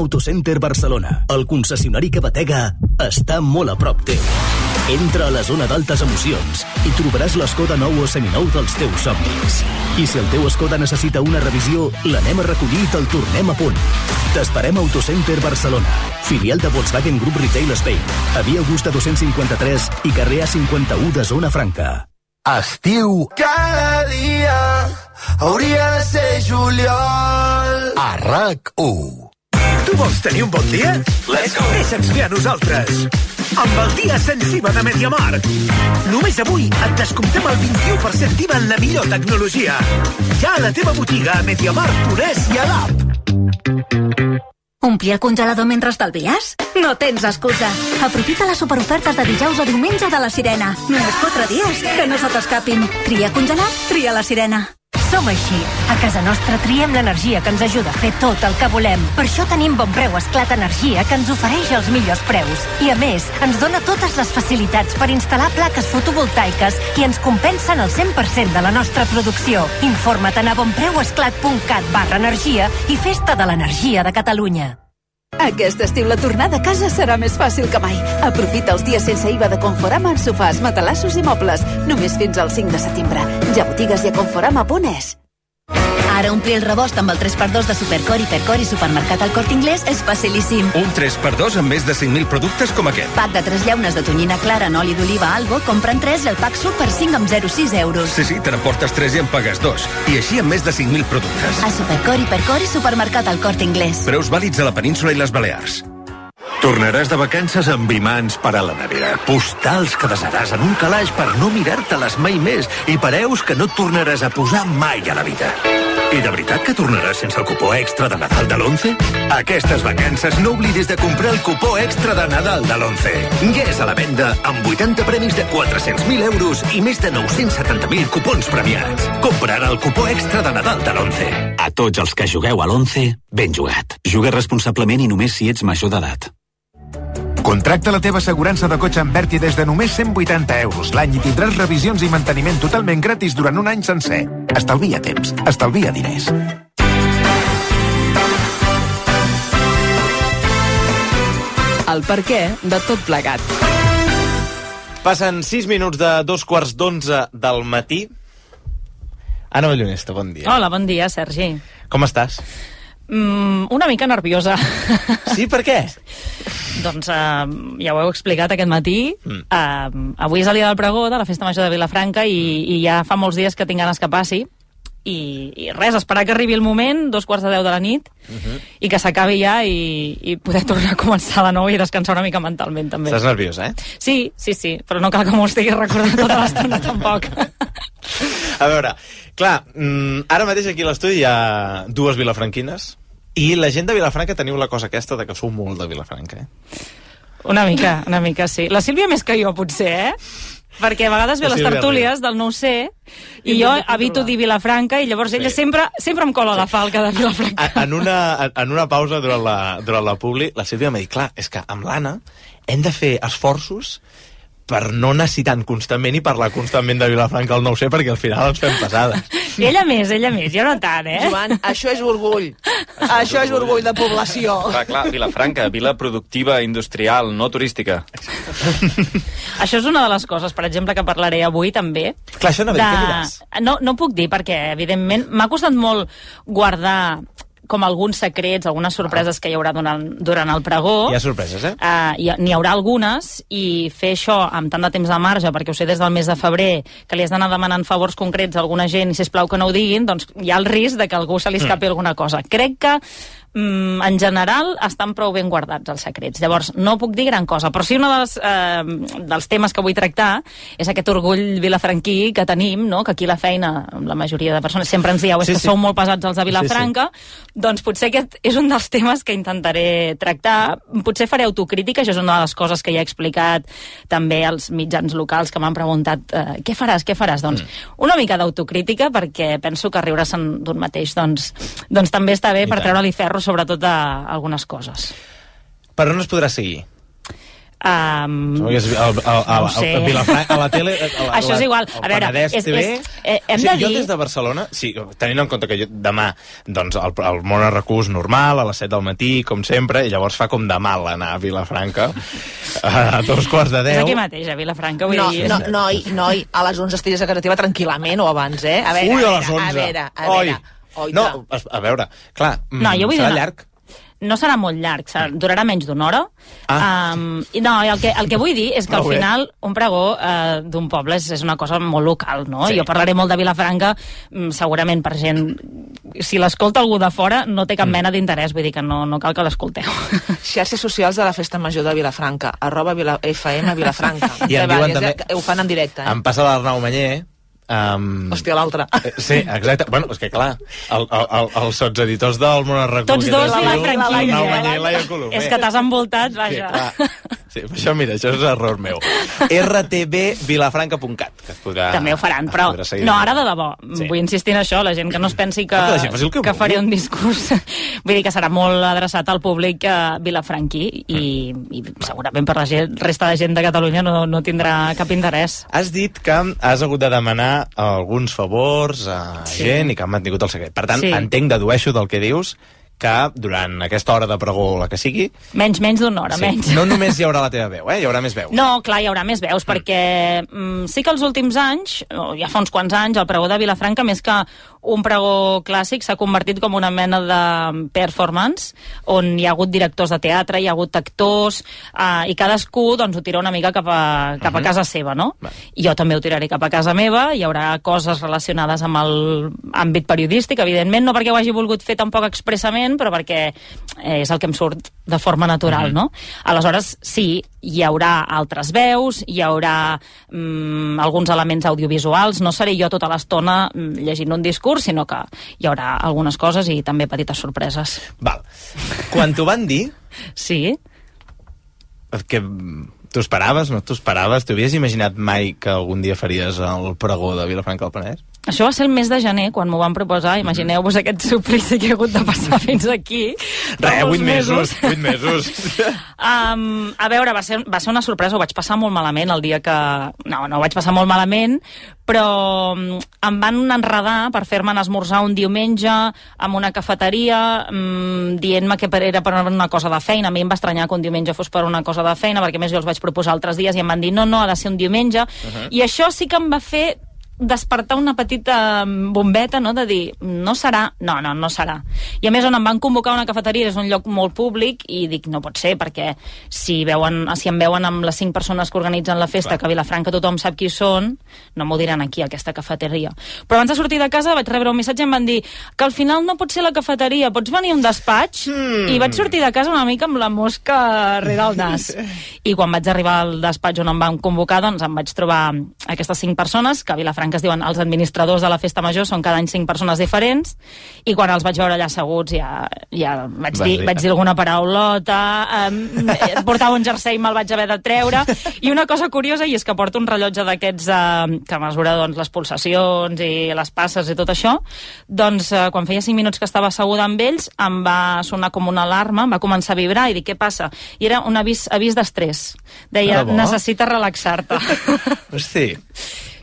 Autocenter Barcelona, el concessionari que batega, està molt a prop teu. Entra a la zona d'altes emocions i trobaràs l'Skoda nou o seminou dels teus somnis. I si el teu Skoda necessita una revisió, l'anem a recollir i te'l tornem a punt. T'esperem a Autocenter Barcelona, filial de Volkswagen Group Retail Spain, a Via Augusta 253 i carrer A51 de Zona Franca. Estiu. Cada dia hauria de ser juliol. A RAC1. Tu vols tenir un bon dia? Let's go! Deixa'ns fer a nosaltres. Amb el dia sensible de MediaMarkt. Només avui et descomptem el 21% d'IVA en la millor tecnologia. Ja a la teva botiga a MediaMarkt.es i a l'app. Omplir el congelador mentre estalvies? No tens excusa. Aprofita les superofertes de dijous a diumenge de la Sirena. Només 4 dies, que no se t'escapin. Tria congelat, tria la Sirena. Som així. A casa nostra triem l'energia que ens ajuda a fer tot el que volem. Per això tenim Bonpreu Esclat Energia, que ens ofereix els millors preus. I a més, ens dona totes les facilitats per instal·lar plaques fotovoltaiques i ens compensen el 100% de la nostra producció. Informa't a bonpreuesclat.cat/energia i festa de l'energia de Catalunya. Aquest estiu la tornada a casa serà més fàcil que mai. Aprofita els dies sense IVA de Conforama en sofàs, matalassos i mobles. Només fins al 5 de setembre. Ja a botigues i a Conforama.es. Ara omplir el rebost amb el 3x2 de Supercor, Hipercor i Supermercat al Corte Inglés és facilíssim. Un 3x2 amb més de 5.000 productes com aquest. Pack de 3 llaunes de tonyina clara en oli d'oliva Albo, compren 3 i el pack surt per 5 amb 0,6 euros. Sí, te n'emportes 3 i en pagues 2. I així amb més de 5.000 productes. A Supercor, Hipercor i Supermercat al Corte Inglés. Preus vàlids a la península i les Balears. Tornaràs de vacances amb imants per a la nevera, postals que desaràs en un calaix per no mirar-te-les mai més i pareus que no et tornaràs a posar mai a la vida. I de veritat que tornaràs sense el cupó extra de Nadal de l'11? Aquestes vacances no oblidis de comprar el cupó extra de Nadal de l'11. Ja és a la venda amb 80 premis de 400.000 euros i més de 970.000 cupons premiats. Compra ara el cupó extra de Nadal de l'11. A tots els que jugueu a l'11, ben jugat. Juga responsablement i només si ets major d'edat. Contracta la teva assegurança de cotxe amb Berti des de només 180 euros l'any i tindràs revisions i manteniment totalment gratis durant un any sencer. Estalvia temps, estalvia diners. El perquè de tot plegat. Passen 6 minuts de 2:15 del matí. Anna Ballonesta, bon dia. Hola, bon dia, Sergi. Com estàs? Una mica nerviosa. Sí, per què? Doncs ja ho heu explicat aquest matí. Avui és el dia del pregó de la Festa Major de Vilafranca i ja fa molts dies que tinc ganes que passi. I res, esperar que arribi el moment, 2:15 de la nit, i que s'acabi ja i poder tornar a començar de nou i descansar una mica mentalment, també. Estàs nerviosa, eh? Sí, però no cal que m'ho estigui recordant tota l'estona, tampoc. A veure, clar, ara mateix aquí a l'estudi hi ha 2 vilafranquines i la gent de Vilafranca teniu la cosa aquesta de que sou molt de Vilafranca, eh? Una mica, sí. La Sílvia més que jo, potser, eh? Perquè a vegades ve les tertúlies del 9C i jo evito dir Vilafranca i llavors ella sempre em cola la falca de Vilafranca. En una pausa durant la publi, la Sílvia m'ha dit, clar, és que amb l'Anna hem de fer esforços per no anar citant constantment i parlar constantment de Vilafranca al 9C perquè al final ens fem passades. Ella més, jo no tant, eh? Joan, això és orgull. Això és orgull de població. Clar, Vilafranca, vila productiva, industrial, no turística. Això és una de les coses, per exemple, que parlaré avui també. Clar, això no ve, què diràs? No puc dir perquè, evidentment, m'ha costat molt guardar com alguns secrets, algunes sorpreses que hi haurà durant el pregó. Hi ha sorpreses, eh? N'hi haurà algunes, i fer això amb tant de temps de marge, perquè ho sé des del mes de febrer, que li has d'anar demanant favors concrets a alguna gent i sisplau que no ho diguin, doncs hi ha el risc de que a algú se li escapi alguna cosa. Crec que en general estan prou ben guardats els secrets. Llavors, no puc dir gran cosa, però sí un dels temes que vull tractar és aquest orgull vilafranquí que tenim, no? Que aquí la feina, la majoria de persones sempre ens dieu que sou molt pesats els de Vilafranca, doncs potser aquest és un dels temes que intentaré tractar. Potser faré autocrítica, això és una de les coses que ja he explicat també als mitjans locals que m'han preguntat què faràs? Doncs una mica d'autocrítica, perquè penso que riure-se'n d'un mateix doncs també està bé per treure-li ferro sobretot a algunes coses. Per on es podrà seguir? No sé. A la tele... Això és igual. A veure, hem de dir... Jo des de Barcelona, tenint en compte que demà doncs, el món es recús normal, a les 7 del matí, com sempre, i llavors fa com de mal anar a Vilafranca a 2:15. És aquí mateix, a Vilafranca. Noi, a les 11 estigues a casa teva tranquil·lament o abans, eh? A les 11. A veure, clar, serà llarg. No serà molt llarg, durarà menys d'una hora. El que vull dir és que al final un pregó d'un poble és una cosa molt local, no? Jo parlaré molt de Vilafranca, segurament per gent... Si l'escolta algú de fora no té cap mena d'interès, vull dir que no cal que l'escolteu. Xarxes socials de la Festa Major de Vilafranca, @FM Vilafranca. I em diuen també... Ho fan en directe. Em passa l'Arnau Manyer... Hòstia, l'altre. Sí, exacte. Bueno, és que clar, els sotseditors del Món es recús... Tots dos Vilafranquins, És que t'has envoltat, vaja. Sí, això, mira, això és error meu. rtbvilafranca.cat, que es podrà... També ho faran, però no, ara de debò. Vull insistir en això, la gent que no es pensi que faré un discurs. Vull dir que serà molt adreçat al públic vilafranquí i segurament per la resta de gent de Catalunya no tindrà cap interès. Has dit que has hagut de demanar alguns favors a gent i que han mantingut el secret. Per tant, entenc, dedueixo del que dius, que durant aquesta hora de pregó, la que sigui... Menys d'una hora, menys. No només hi haurà la teva veu, hi haurà més veus. No, clar, hi haurà més veus, perquè sí que els últims anys, ja fa uns quants anys, el pregó de Vilafranca, més que un pregó clàssic, s'ha convertit com una mena de performance, on hi ha hagut directors de teatre, hi ha hagut actors, i cadascú doncs, ho tira una mica cap a casa seva, no? I jo també ho tiraré cap a casa meva, hi haurà coses relacionades amb l'àmbit periodístic, evidentment, no perquè ho hagi volgut fer tampoc expressament, però perquè és el que em surt de forma natural, no? Aleshores, sí, hi haurà altres veus, hi haurà alguns elements audiovisuals, no seré jo tota l'estona llegint un discurs, sinó que hi haurà algunes coses i també petites sorpreses. Val. Quan t'ho van dir... Sí. Que t'ho esperaves, no t'ho esperaves? T'ho havies imaginat mai que algun dia faries el pregó de Vilafranca del Penedès? Això va ser el mes de gener, quan m'ho van proposar. Imagineu-vos aquest suplici que he hagut de passar fins aquí. 8 mesos. A veure, va ser una sorpresa. Ho vaig passar molt malament el dia que... No ho vaig passar molt malament, però em van enredar per fer-me esmorzar un diumenge en una cafeteria, dient-me que era per una cosa de feina. A mi em va estranyar que un diumenge fos per una cosa de feina, perquè més jo els vaig proposar altres dies i em van dir no, ha de ser un diumenge. I això sí que em va fer despertar una petita bombeta, no?, de dir, no serà, no serà. I a més, on em van convocar a una cafeteria, és un lloc molt públic, i dic, no pot ser, perquè si em veuen amb les 5 persones que organitzen la festa, que a Vilafranca tothom sap qui són, no m'ho diran aquí, a aquesta cafeteria. Però abans de sortir de casa vaig rebre un missatge i em van dir que al final no pot ser la cafeteria, pots venir a un despatx? I vaig sortir de casa una mica amb la mosca rere el nas. I quan vaig arribar al despatx on em van convocar, doncs em vaig trobar aquestes 5 persones, que a Vilafranca es diuen els administradors de la Festa Major, són cada any 5 persones diferents, i quan els vaig veure allà asseguts ja vaig dir alguna paraulota, portava un jersei i me'l vaig haver de treure, i una cosa curiosa, i és que porto un rellotge d'aquests que mesura doncs, les pulsacions i les passes i tot això, doncs quan feia 5 minuts que estava asseguda amb ells, em va sonar com una alarma, em va començar a vibrar i dic, què passa? I era un avís d'estrès. Deia, necessites relaxar-te. Hosti.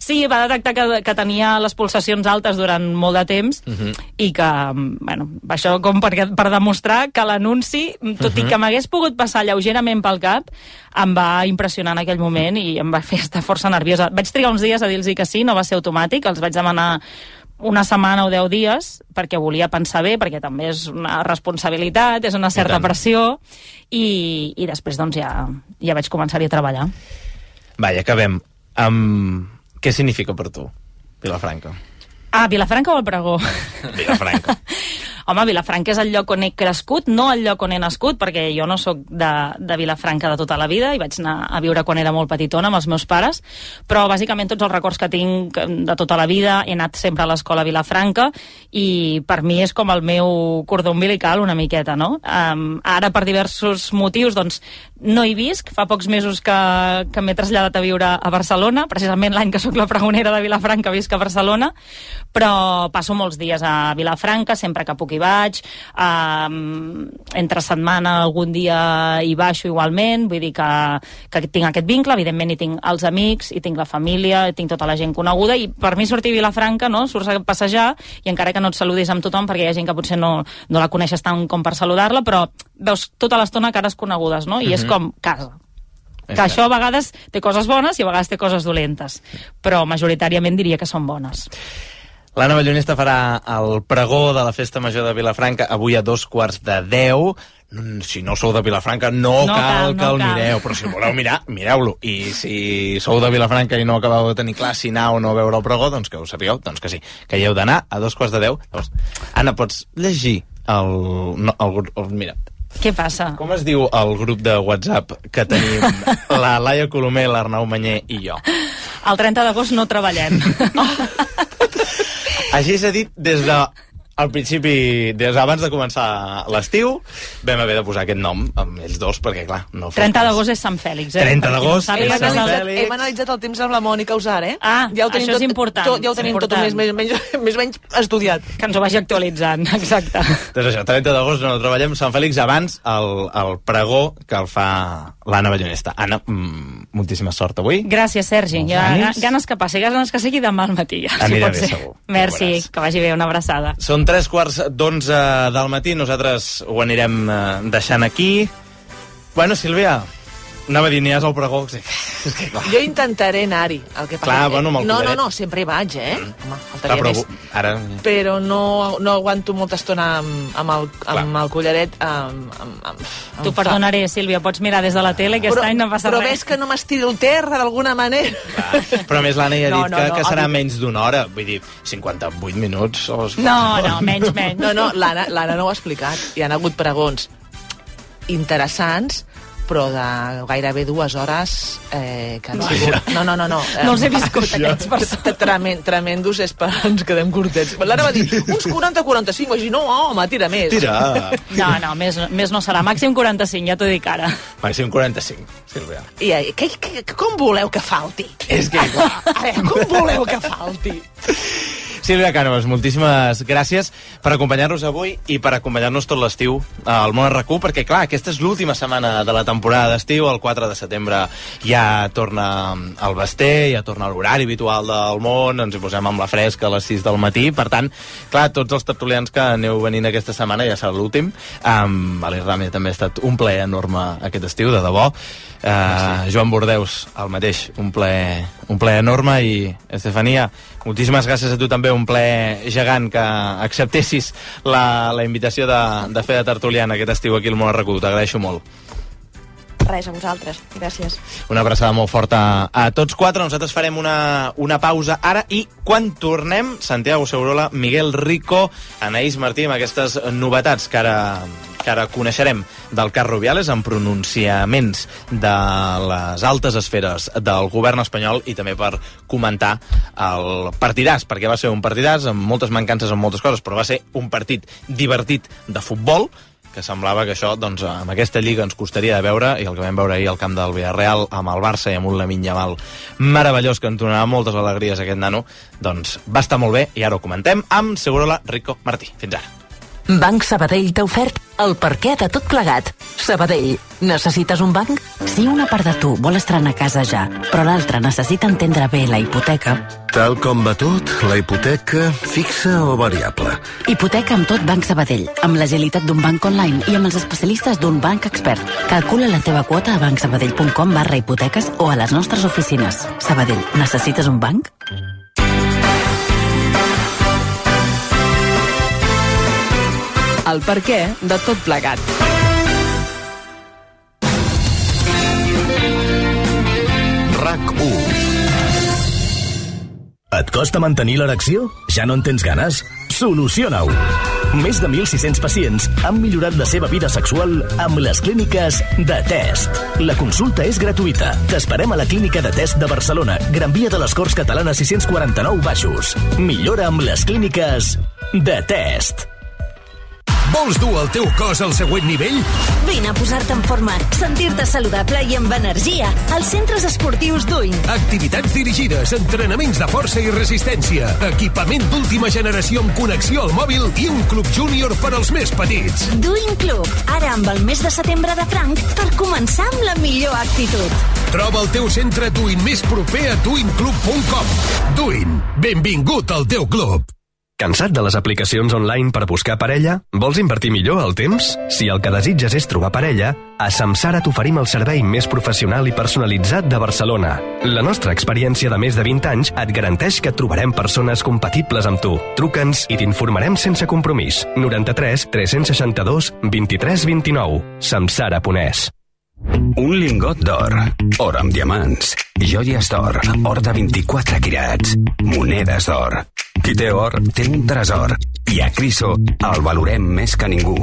Sí, va detectar que tenia les pulsacions altes durant molt de temps i que, bueno, això com per demostrar que l'anunci, tot i que m'hagués pogut passar lleugerament pel cap, em va impressionar en aquell moment i em va fer estar força nerviosa. Vaig trigar uns dies a dir-los que sí, no va ser automàtic, els vaig demanar una setmana o 10 dies perquè volia pensar bé, perquè també és una responsabilitat, és una certa pressió i després doncs ja vaig començar-hi a treballar. Vaja, acabem. Què significa per tu, Vilafranca? Vilafranca o el pregó? Vilafranca. Home, Vilafranca és el lloc on he crescut, no el lloc on he nascut, perquè jo no sóc de Vilafranca de tota la vida, i vaig anar a viure quan era molt petitona amb els meus pares, però bàsicament tots els records que tinc de tota la vida, he anat sempre a l'escola a Vilafranca, i per mi és com el meu cordó umbilical una miqueta, no? Ara, per diversos motius, doncs, no hi visc, fa pocs mesos que m'he traslladat a viure a Barcelona, precisament l'any que sóc la pregonera de Vilafranca visc a Barcelona, però passo molts dies a Vilafranca, sempre que puc hi vaig, entre setmana algun dia hi baixo igualment, vull dir que tinc aquest vincle, evidentment hi tinc els amics, hi tinc la família, hi tinc tota la gent coneguda, i per mi sortir a Vilafranca, no?, surts a passejar, i encara que no et saludis amb tothom, perquè hi ha gent que potser no la coneixes tant com per saludar-la, però veus tota l'estona cares conegudes, no?, i és com casa. Que això a vegades té coses bones i a vegades té coses dolentes, però majoritàriament diria que són bones. L'Anna Ballonesta farà el pregó de la Festa Major de Vilafranca avui a 9:45. Si no sou de Vilafranca, no cal que el mireu, però si voleu mirar, mireu-lo. I si sou de Vilafranca i no acabeu de tenir clar si anar o no veure el pregó, doncs que ho sapigueu, doncs que sí, que hi heu d'anar a 9:45. Llavors, Anna, pots llegir mira, què passa? com es diu el grup de WhatsApp que tenim la Laia Colomer, l'Arnau Manyer i jo? El 30 d'agost no treballem. Així s'ha dit des de al principi, abans de començar l'estiu, vam haver de posar aquest nom amb ells dos, perquè clar, no fos 30 d'agost és Sant Fèlix, 30 d'agost és Sant Fèlix. Hem analitzat el temps amb la Mònica Usar, Ah, ja això és important. Ja ho tenim tot més o menys estudiat. Que ens ho vagi actualitzant, exacte. Doncs això, 30 d'agost no treballem, Sant Fèlix abans el pregó que el fa l'Anna Ballonesta. Anna, moltíssima sort avui. Gràcies, Sergi. Ganes que passi, ganes que sigui demà al matí. Anirà bé, segur. Merci, que vagi bé, una abraçada. Són 11:45 del matí, nosaltres ho anirem deixant aquí. Bueno, Sílvia, anava a dir, n'hi has al pregó. És que, clar. Jo intentaré anar-hi. Clar, bueno, amb el collaret. No, sempre hi vaig, Home, faltaria més. Ara... Però no aguanto molta estona amb el collaret. T'ho perdonaré, Sílvia, pots mirar des de la tele, aquest any no passa res. Però ves que no m'estiro el terra d'alguna manera. Però a més l'Anna ja ha dit que serà menys d'una hora. Vull dir, 58 minuts... No, menys. No, l'Anna no ho ha explicat. Hi ha hagut pregons interessants, però de gairebé 2 hores que han sigut... No. No els he viscut, aquests persones. Tremendos, és per ens quedem curtets. L'Anna va dir, uns 40-45, vaig dir, no, home, tira més. Tira. No, més no serà. Màxim 45, ja t'ho dic ara. Màxim 45, Sílvia. I com voleu que falti? És que, clar... Com voleu que falti? Sílvia Cànovas, moltíssimes gràcies per acompanyar-nos avui i per acompanyar-nos tot l'estiu al Món RQ, perquè clar, aquesta és l'última setmana de la temporada d'estiu, el 4 de setembre ja torna el Basté, ja torna l'horari habitual del Món, ens hi posem amb la fresca a les 6 del matí, per tant, clar, tots els tertulians que aneu venint aquesta setmana ja serà l'últim. Valer Ràmia també ha estat un plaer enorme aquest estiu, de debò. Joan Bordeus, el mateix, un plaer enorme, i Estefania, moltíssimes gràcies a tu també, un plaer gegant que acceptessis la invitació de fer de tertuliana aquest estiu aquí al Món RQ, t'agraeixo molt. Res, a vosaltres, gràcies. Una abraçada molt forta a tots quatre. Nosaltres farem una pausa ara i quan tornem, Santiago Segurola, Miguel Rico, Anaïs Martí, amb aquestes novetats que ara coneixerem del cas Rubiales, amb pronunciaments de les altes esferes del govern espanyol, i també per comentar el partidàs, perquè va ser un partidàs amb moltes mancances en moltes coses, però va ser un partit divertit de futbol, que semblava que això, doncs, amb aquesta lliga ens costaria de veure, i el que vam veure ahir al camp del Villarreal amb el Barça i amb un Lamine Yamal meravellós que ens donava moltes alegries aquest nano, doncs va estar molt bé, i ara ho comentem amb Segurola, Rico, Martí. Fins ara. Banc Sabadell t'ha ofert el perquè de tot plegat. Sabadell, necessites un banc? Si una part de tu vol estrenar casa ja, però l'altra necessita entendre bé la hipoteca... Tal com va tot, la hipoteca fixa o variable? Hipoteca amb tot Banc Sabadell, amb l'agilitat d'un banc online i amb els especialistes d'un banc expert. Calcula la teva quota a bancsabadell.com/hipoteques o a les nostres oficines. Sabadell, necessites un banc? El perquè de tot plegat. RAC1. Et costa mantenir l'erecció? Ja no en tens ganes? Soluciona-ho! Més de 1.600 pacients han millorat la seva vida sexual amb les clíniques de Test. La consulta és gratuïta. T'esperem a la clínica de Test de Barcelona, Gran Via de les Corts Catalanes 649 Baixos. Millora amb les clíniques de Test. Vols dur el teu cos al següent nivell? Vine a posar-te en forma, sentir-te saludable i amb energia als centres esportius Duin. Activitats dirigides, entrenaments de força i resistència, equipament d'última generació amb connexió al mòbil i un club júnior per als més petits. Duin Club, ara amb el mes de setembre de franc per començar amb la millor actitud. Troba el teu centre Duin més proper a duinclub.com. Duin, benvingut al teu club. Cansat de les aplicacions online per buscar parella? Vols invertir millor el temps? Si el que desitges és trobar parella, a Samsara t'oferim el servei més professional i personalitzat de Barcelona. La nostra experiència de més de 20 anys et garanteix que trobarem persones compatibles amb tu. Truca'ns i t'informarem sense compromís. 93 362 23 29. Samsara.es. Un lingot d'or, or amb diamants, joies d'or, or de 24 quirats, monedes d'or. Qui té or, té un tresor. I a Criso el valorem més que ningú.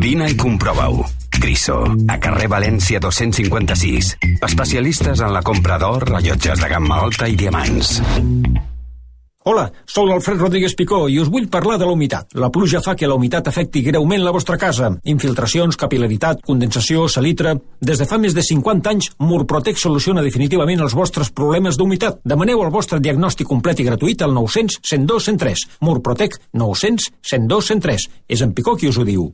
Vine i comprova-ho. Criso, a carrer València 256. Especialistes en la compra d'or, rellotges de gamma alta i diamants. Hola, sóc l'Alfred Rodríguez Picó i us vull parlar de la humitat. La pluja fa que la humitat afecti greument la vostra casa. Infiltracions, capil·laritat, condensació, salitre... Des de fa més de 50 anys, Murprotec soluciona definitivament els vostres problemes d'humitat. Demaneu el vostre diagnòstic complet i gratuït al 900 102 103. Murprotec 900 102 103. És en Picó qui us ho diu.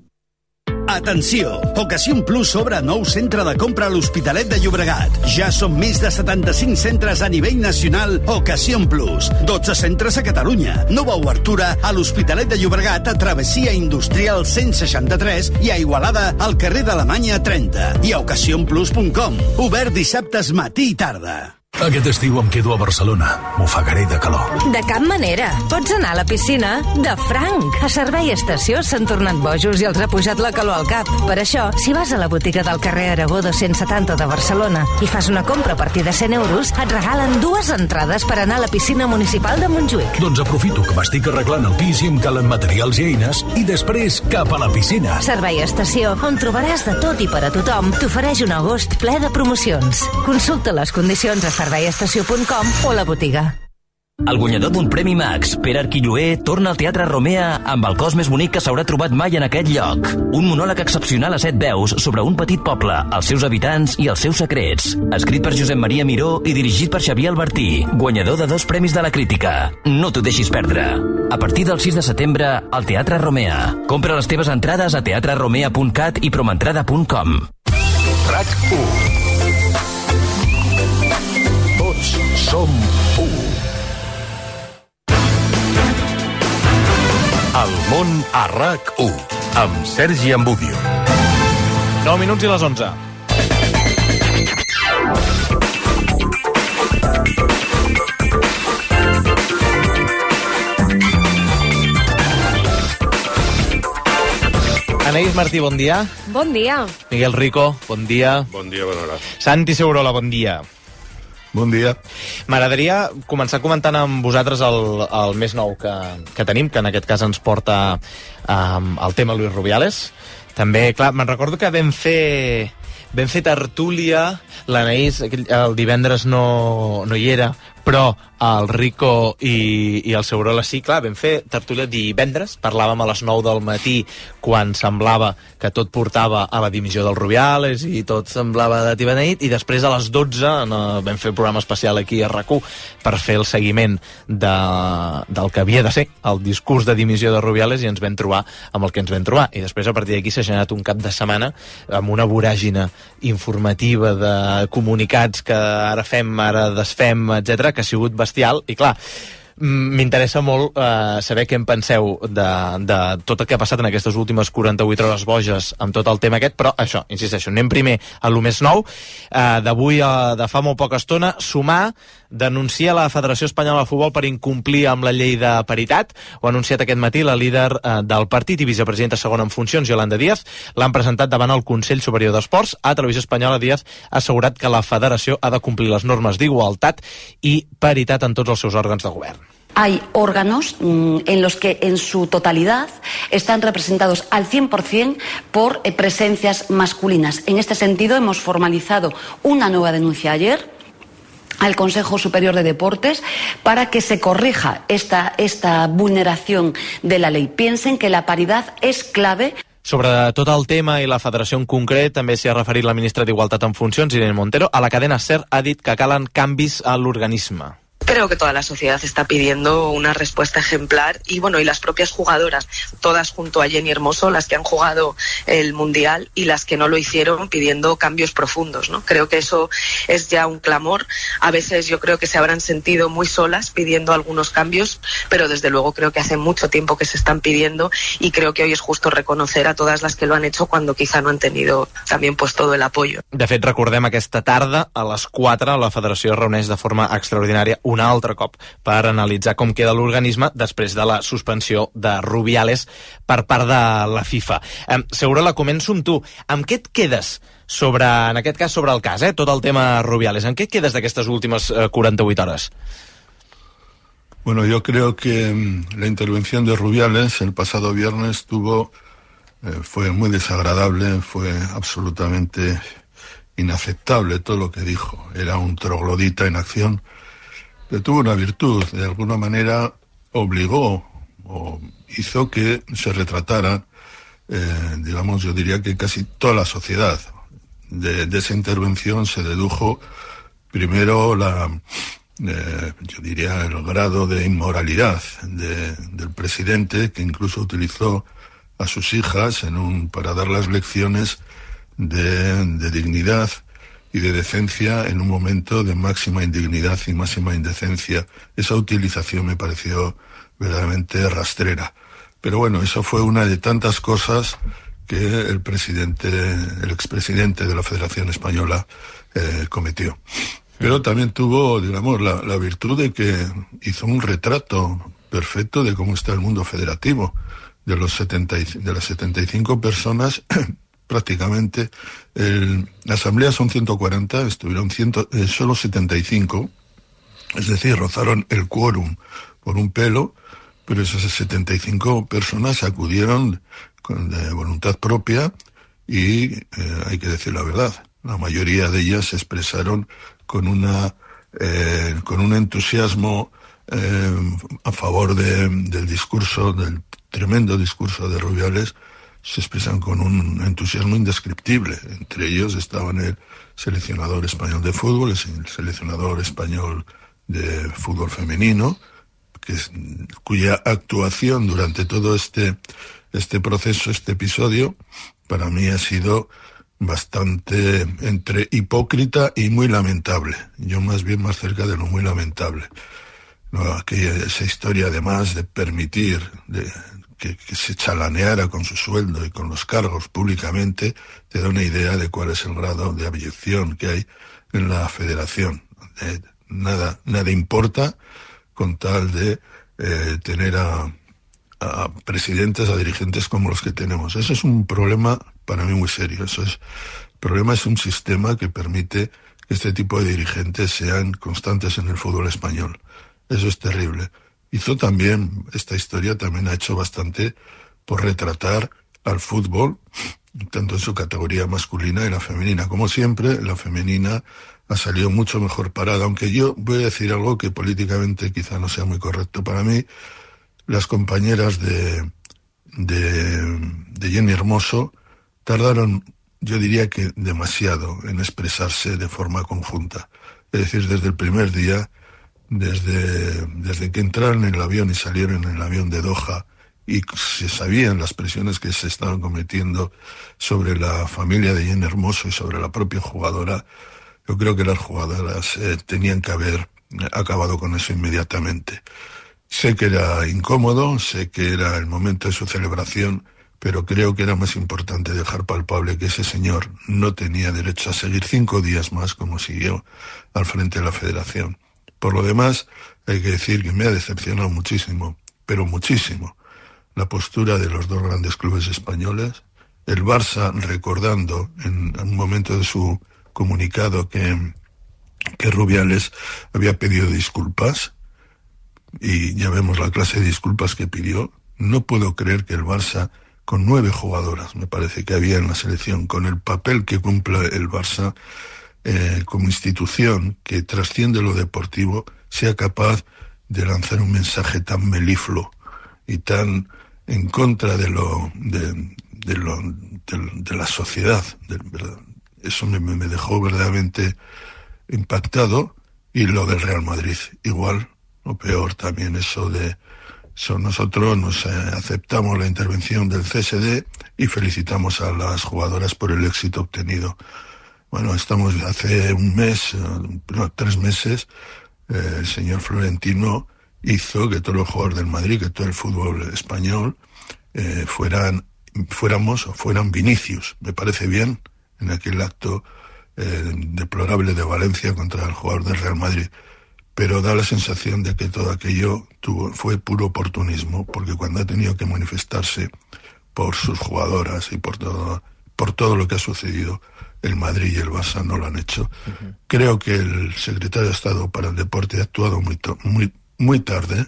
Atenció! Ocasión Plus obre nou centre de compra a l'Hospitalet de Llobregat. Ja són més de 75 centres a nivell nacional Ocasión Plus. 12 centres a Catalunya. Nova obertura a l'Hospitalet de Llobregat a Travessia Industrial 163 i a Igualada al carrer d'Alemanya 30. I a ocasionplus.com. Obert dissabtes matí i tarda. Aquest estiu em quedo a Barcelona. M'ofegaré de calor. De cap manera. Pots anar a la piscina de franc. A Servei Estació s'han tornat bojos i els ha pujat la calor al cap. Per això, si vas a la botiga del carrer Aragó 270 de Barcelona i fas una compra a partir de 100 euros, et regalen 2 entrades per anar a la piscina municipal de Montjuïc. Doncs aprofito que m'estic arreglant el pis i em calen materials i eines i després cap a la piscina. Servei Estació, on trobaràs de tot i per a tothom, t'ofereix un agost ple de promocions. Consulta les condicions a serveiestació.com o a la botiga. El guanyador d'un Premi Max, Pere Arquilloé, torna al Teatre Romea amb el cos més bonic que s'haurà trobat mai en aquest lloc. Un monòleg excepcional a 7 veus sobre un petit poble, els seus habitants i els seus secrets. Escrit per Josep Maria Miró i dirigit per Xavier Albertí, guanyador de 2 premis de la crítica. No t'ho deixis perdre. A partir del 6 de setembre, al Teatre Romea. Compra les teves entrades a teatreromea.cat i promentrada.com. RAC1. Tots som 1. El món a RAC1, amb Sergi Ambudio. 9 minuts i les 11. Anaïs Martí, bon dia. Bon dia. Miguel Rico, bon dia. Bon dia, bona hora. Santi Segurola, bon dia. Bon dia. M'agradaria començar comentant amb vosaltres el més nou que tenim, que en aquest cas ens porta el tema Luis Rubiales. També, clar, me'n recordo que vam fer tertúlia, l'Anaïs el divendres no hi era, però el Rico i el Segurola sí, clar, vam fer tertúlia divendres, parlàvem a les 9 del matí quan semblava que tot portava a la dimissió del Rubiales i tot semblava de tibaneit, i després a les 12 vam fer un programa especial aquí a RAC1 per fer el seguiment del que havia de ser el discurs de dimissió de Rubiales, i ens vam trobar amb el que ens vam trobar, i després a partir d'aquí s'ha generat un cap de setmana amb una voràgina informativa de comunicats que ara fem, ara desfem, etc, que ha sigut bestial. I clar, m'interessa molt saber què en penseu de tot el que ha passat en aquestes últimes 48 hores boges amb tot el tema aquest, però això, insisteixo, anem primer a lo més nou d'avui, de fa molt poca estona. Sumar denuncia la Federació Espanyola de Futbol per incomplir amb la llei de paritat. Ho ha anunciat aquest matí la líder del partit i vicepresidenta segona en funcions, Yolanda Díaz. L'han presentat davant el Consell Superior d'Esports. A Televisió Espanyola, Díaz ha assegurat que la federació ha de complir les normes d'igualtat i paritat en tots els seus òrgans de govern. Hay órganos en los que en su totalidad están representados al 100% por presencias masculinas. En este sentido hemos formalizado una nueva denuncia ayer al Consejo Superior de Deportes para que se corrija esta vulneración de la ley. Piensen que la paridad es clave. Sobre tot el tema i la federació en concret, també s'hi ha referit la ministra d'Igualtat en funcions, Irene Montero. A la cadena SER ha dit que calen canvis a l'organisme. Creo que toda la sociedad está pidiendo una respuesta ejemplar y bueno, y las propias jugadoras, todas junto a Jenny Hermoso, las que han jugado el Mundial y las que no lo hicieron, pidiendo cambios profundos, ¿no? Creo que eso es ya un clamor. A veces yo creo que se habrán sentido muy solas pidiendo algunos cambios, pero desde luego creo que hace mucho tiempo que se están pidiendo y creo que hoy es justo reconocer a todas las que lo han hecho cuando quizá no han tenido también pues todo el apoyo. De fet, recordem aquesta tarda, a les 4, la federació es reuneix de forma extraordinària un altre cop per analitzar com queda l'organisme després de la suspensió de Rubiales per part de la FIFA. Segurola, començo amb tu. Amb què et quedes sobre, en aquest cas, sobre el cas, tot el tema Rubiales? En què et quedes d'aquestes últimes 48 hores? Bueno, yo creo que la intervención de Rubiales el pasado viernes fue muy desagradable, fue absolutamente inaceptable todo lo que dijo. Era un troglodita en acción. Pero tuvo una virtud, de alguna manera obligó o hizo que se retratara, digamos, yo diría que casi toda la sociedad. De esa intervención se dedujo primero yo diría el grado de inmoralidad del presidente, que incluso utilizó a sus hijas para dar las lecciones de dignidad y de decencia en un momento de máxima indignidad y máxima indecencia. Esa utilización me pareció verdaderamente rastrera. Pero bueno, eso fue una de tantas cosas que el expresidente de la Federación Española cometió. Pero también tuvo, digamos, la virtud de que hizo un retrato perfecto de cómo está el mundo federativo. De las 75 personas... prácticamente, la asamblea son 140, estuvieron solo 75, es decir, rozaron el quórum por un pelo, pero esas 75 personas acudieron de voluntad propia y hay que decir la verdad, la mayoría de ellas se expresaron con un entusiasmo a favor del discurso, del tremendo discurso de Rubiales. Se expresan con un entusiasmo indescriptible. Entre ellos estaban el seleccionador español de fútbol, el seleccionador español de fútbol femenino, cuya actuación durante todo este proceso, este episodio, para mí ha sido bastante entre hipócrita y muy lamentable. Yo más cerca de lo muy lamentable. No, esa historia además de permitir... Que se chalaneara con su sueldo y con los cargos públicamente, te da una idea de cuál es el grado de abyección que hay en la federación. Nada importa con tal de tener a presidentes, a dirigentes como los que tenemos. Eso es un problema para mí muy serio. El problema es un sistema que permite que este tipo de dirigentes sean constantes en el fútbol español. Eso es terrible. Esta historia también ha hecho bastante por retratar al fútbol, tanto en su categoría masculina y la femenina. Como siempre, la femenina ha salido mucho mejor parada, aunque yo voy a decir algo que políticamente quizá no sea muy correcto. Para mí, las compañeras de Jenny Hermoso tardaron, yo diría que demasiado, en expresarse de forma conjunta. Es decir, desde el primer día, desde que entraron en el avión y salieron en el avión de Doha y se sabían las presiones que se estaban cometiendo sobre la familia de Jenny Hermoso y sobre la propia jugadora, yo creo que las jugadoras tenían que haber acabado con eso inmediatamente. Sé que era incómodo, sé que era el momento de su celebración, pero creo que era más importante dejar palpable que ese señor no tenía derecho a seguir 5 días más como siguió al frente de la federación. Por lo demás, hay que decir que me ha decepcionado muchísimo, pero muchísimo, la postura de los dos grandes clubes españoles. El Barça recordando en un momento de su comunicado que Rubiales había pedido disculpas, y ya vemos la clase de disculpas que pidió. No puedo creer que el Barça, con 9 jugadoras, me parece que había en la selección, con el papel que cumple el Barça, como institución que trasciende lo deportivo, sea capaz de lanzar un mensaje tan melifluo y tan en contra de la sociedad. Eso me dejó verdaderamente impactado. Y lo del Real Madrid, igual, o peor también, nosotros nos aceptamos la intervención del CSD y felicitamos a las jugadoras por el éxito obtenido. Bueno, hace 3 meses, el señor Florentino hizo que todos los jugadores del Madrid, que todo el fútbol español, fueran Vinicius. Me parece bien, en aquel acto deplorable de Valencia contra el jugador del Real Madrid, pero da la sensación de que todo aquello fue puro oportunismo, porque cuando ha tenido que manifestarse por sus jugadoras y por todo lo que ha sucedido, el Madrid y el Barça no lo han hecho. Creo que el secretario de Estado para el Deporte ha actuado muy tarde.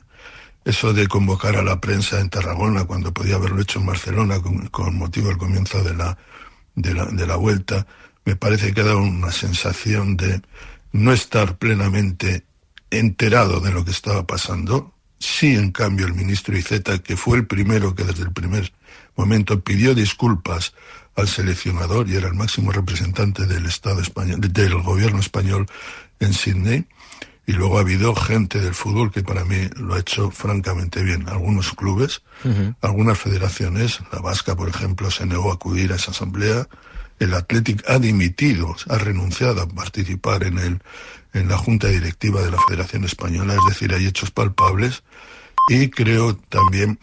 Eso de convocar a la prensa en Tarragona cuando podía haberlo hecho en Barcelona con motivo del comienzo de la vuelta, me parece que ha dado una sensación de no estar plenamente enterado de lo que estaba pasando. Sí, en cambio, el ministro Iceta, que fue el primero que desde el primer momento pidió disculpas al seleccionador y era el máximo representante del Estado español, del gobierno español en Sydney, y luego ha habido gente del fútbol que para mí lo ha hecho francamente bien. Algunos clubes, algunas federaciones, la vasca, por ejemplo, se negó a acudir a esa asamblea. El Athletic ha dimitido, ha renunciado a participar en la junta directiva de la Federación Española, es decir, hay hechos palpables, y creo también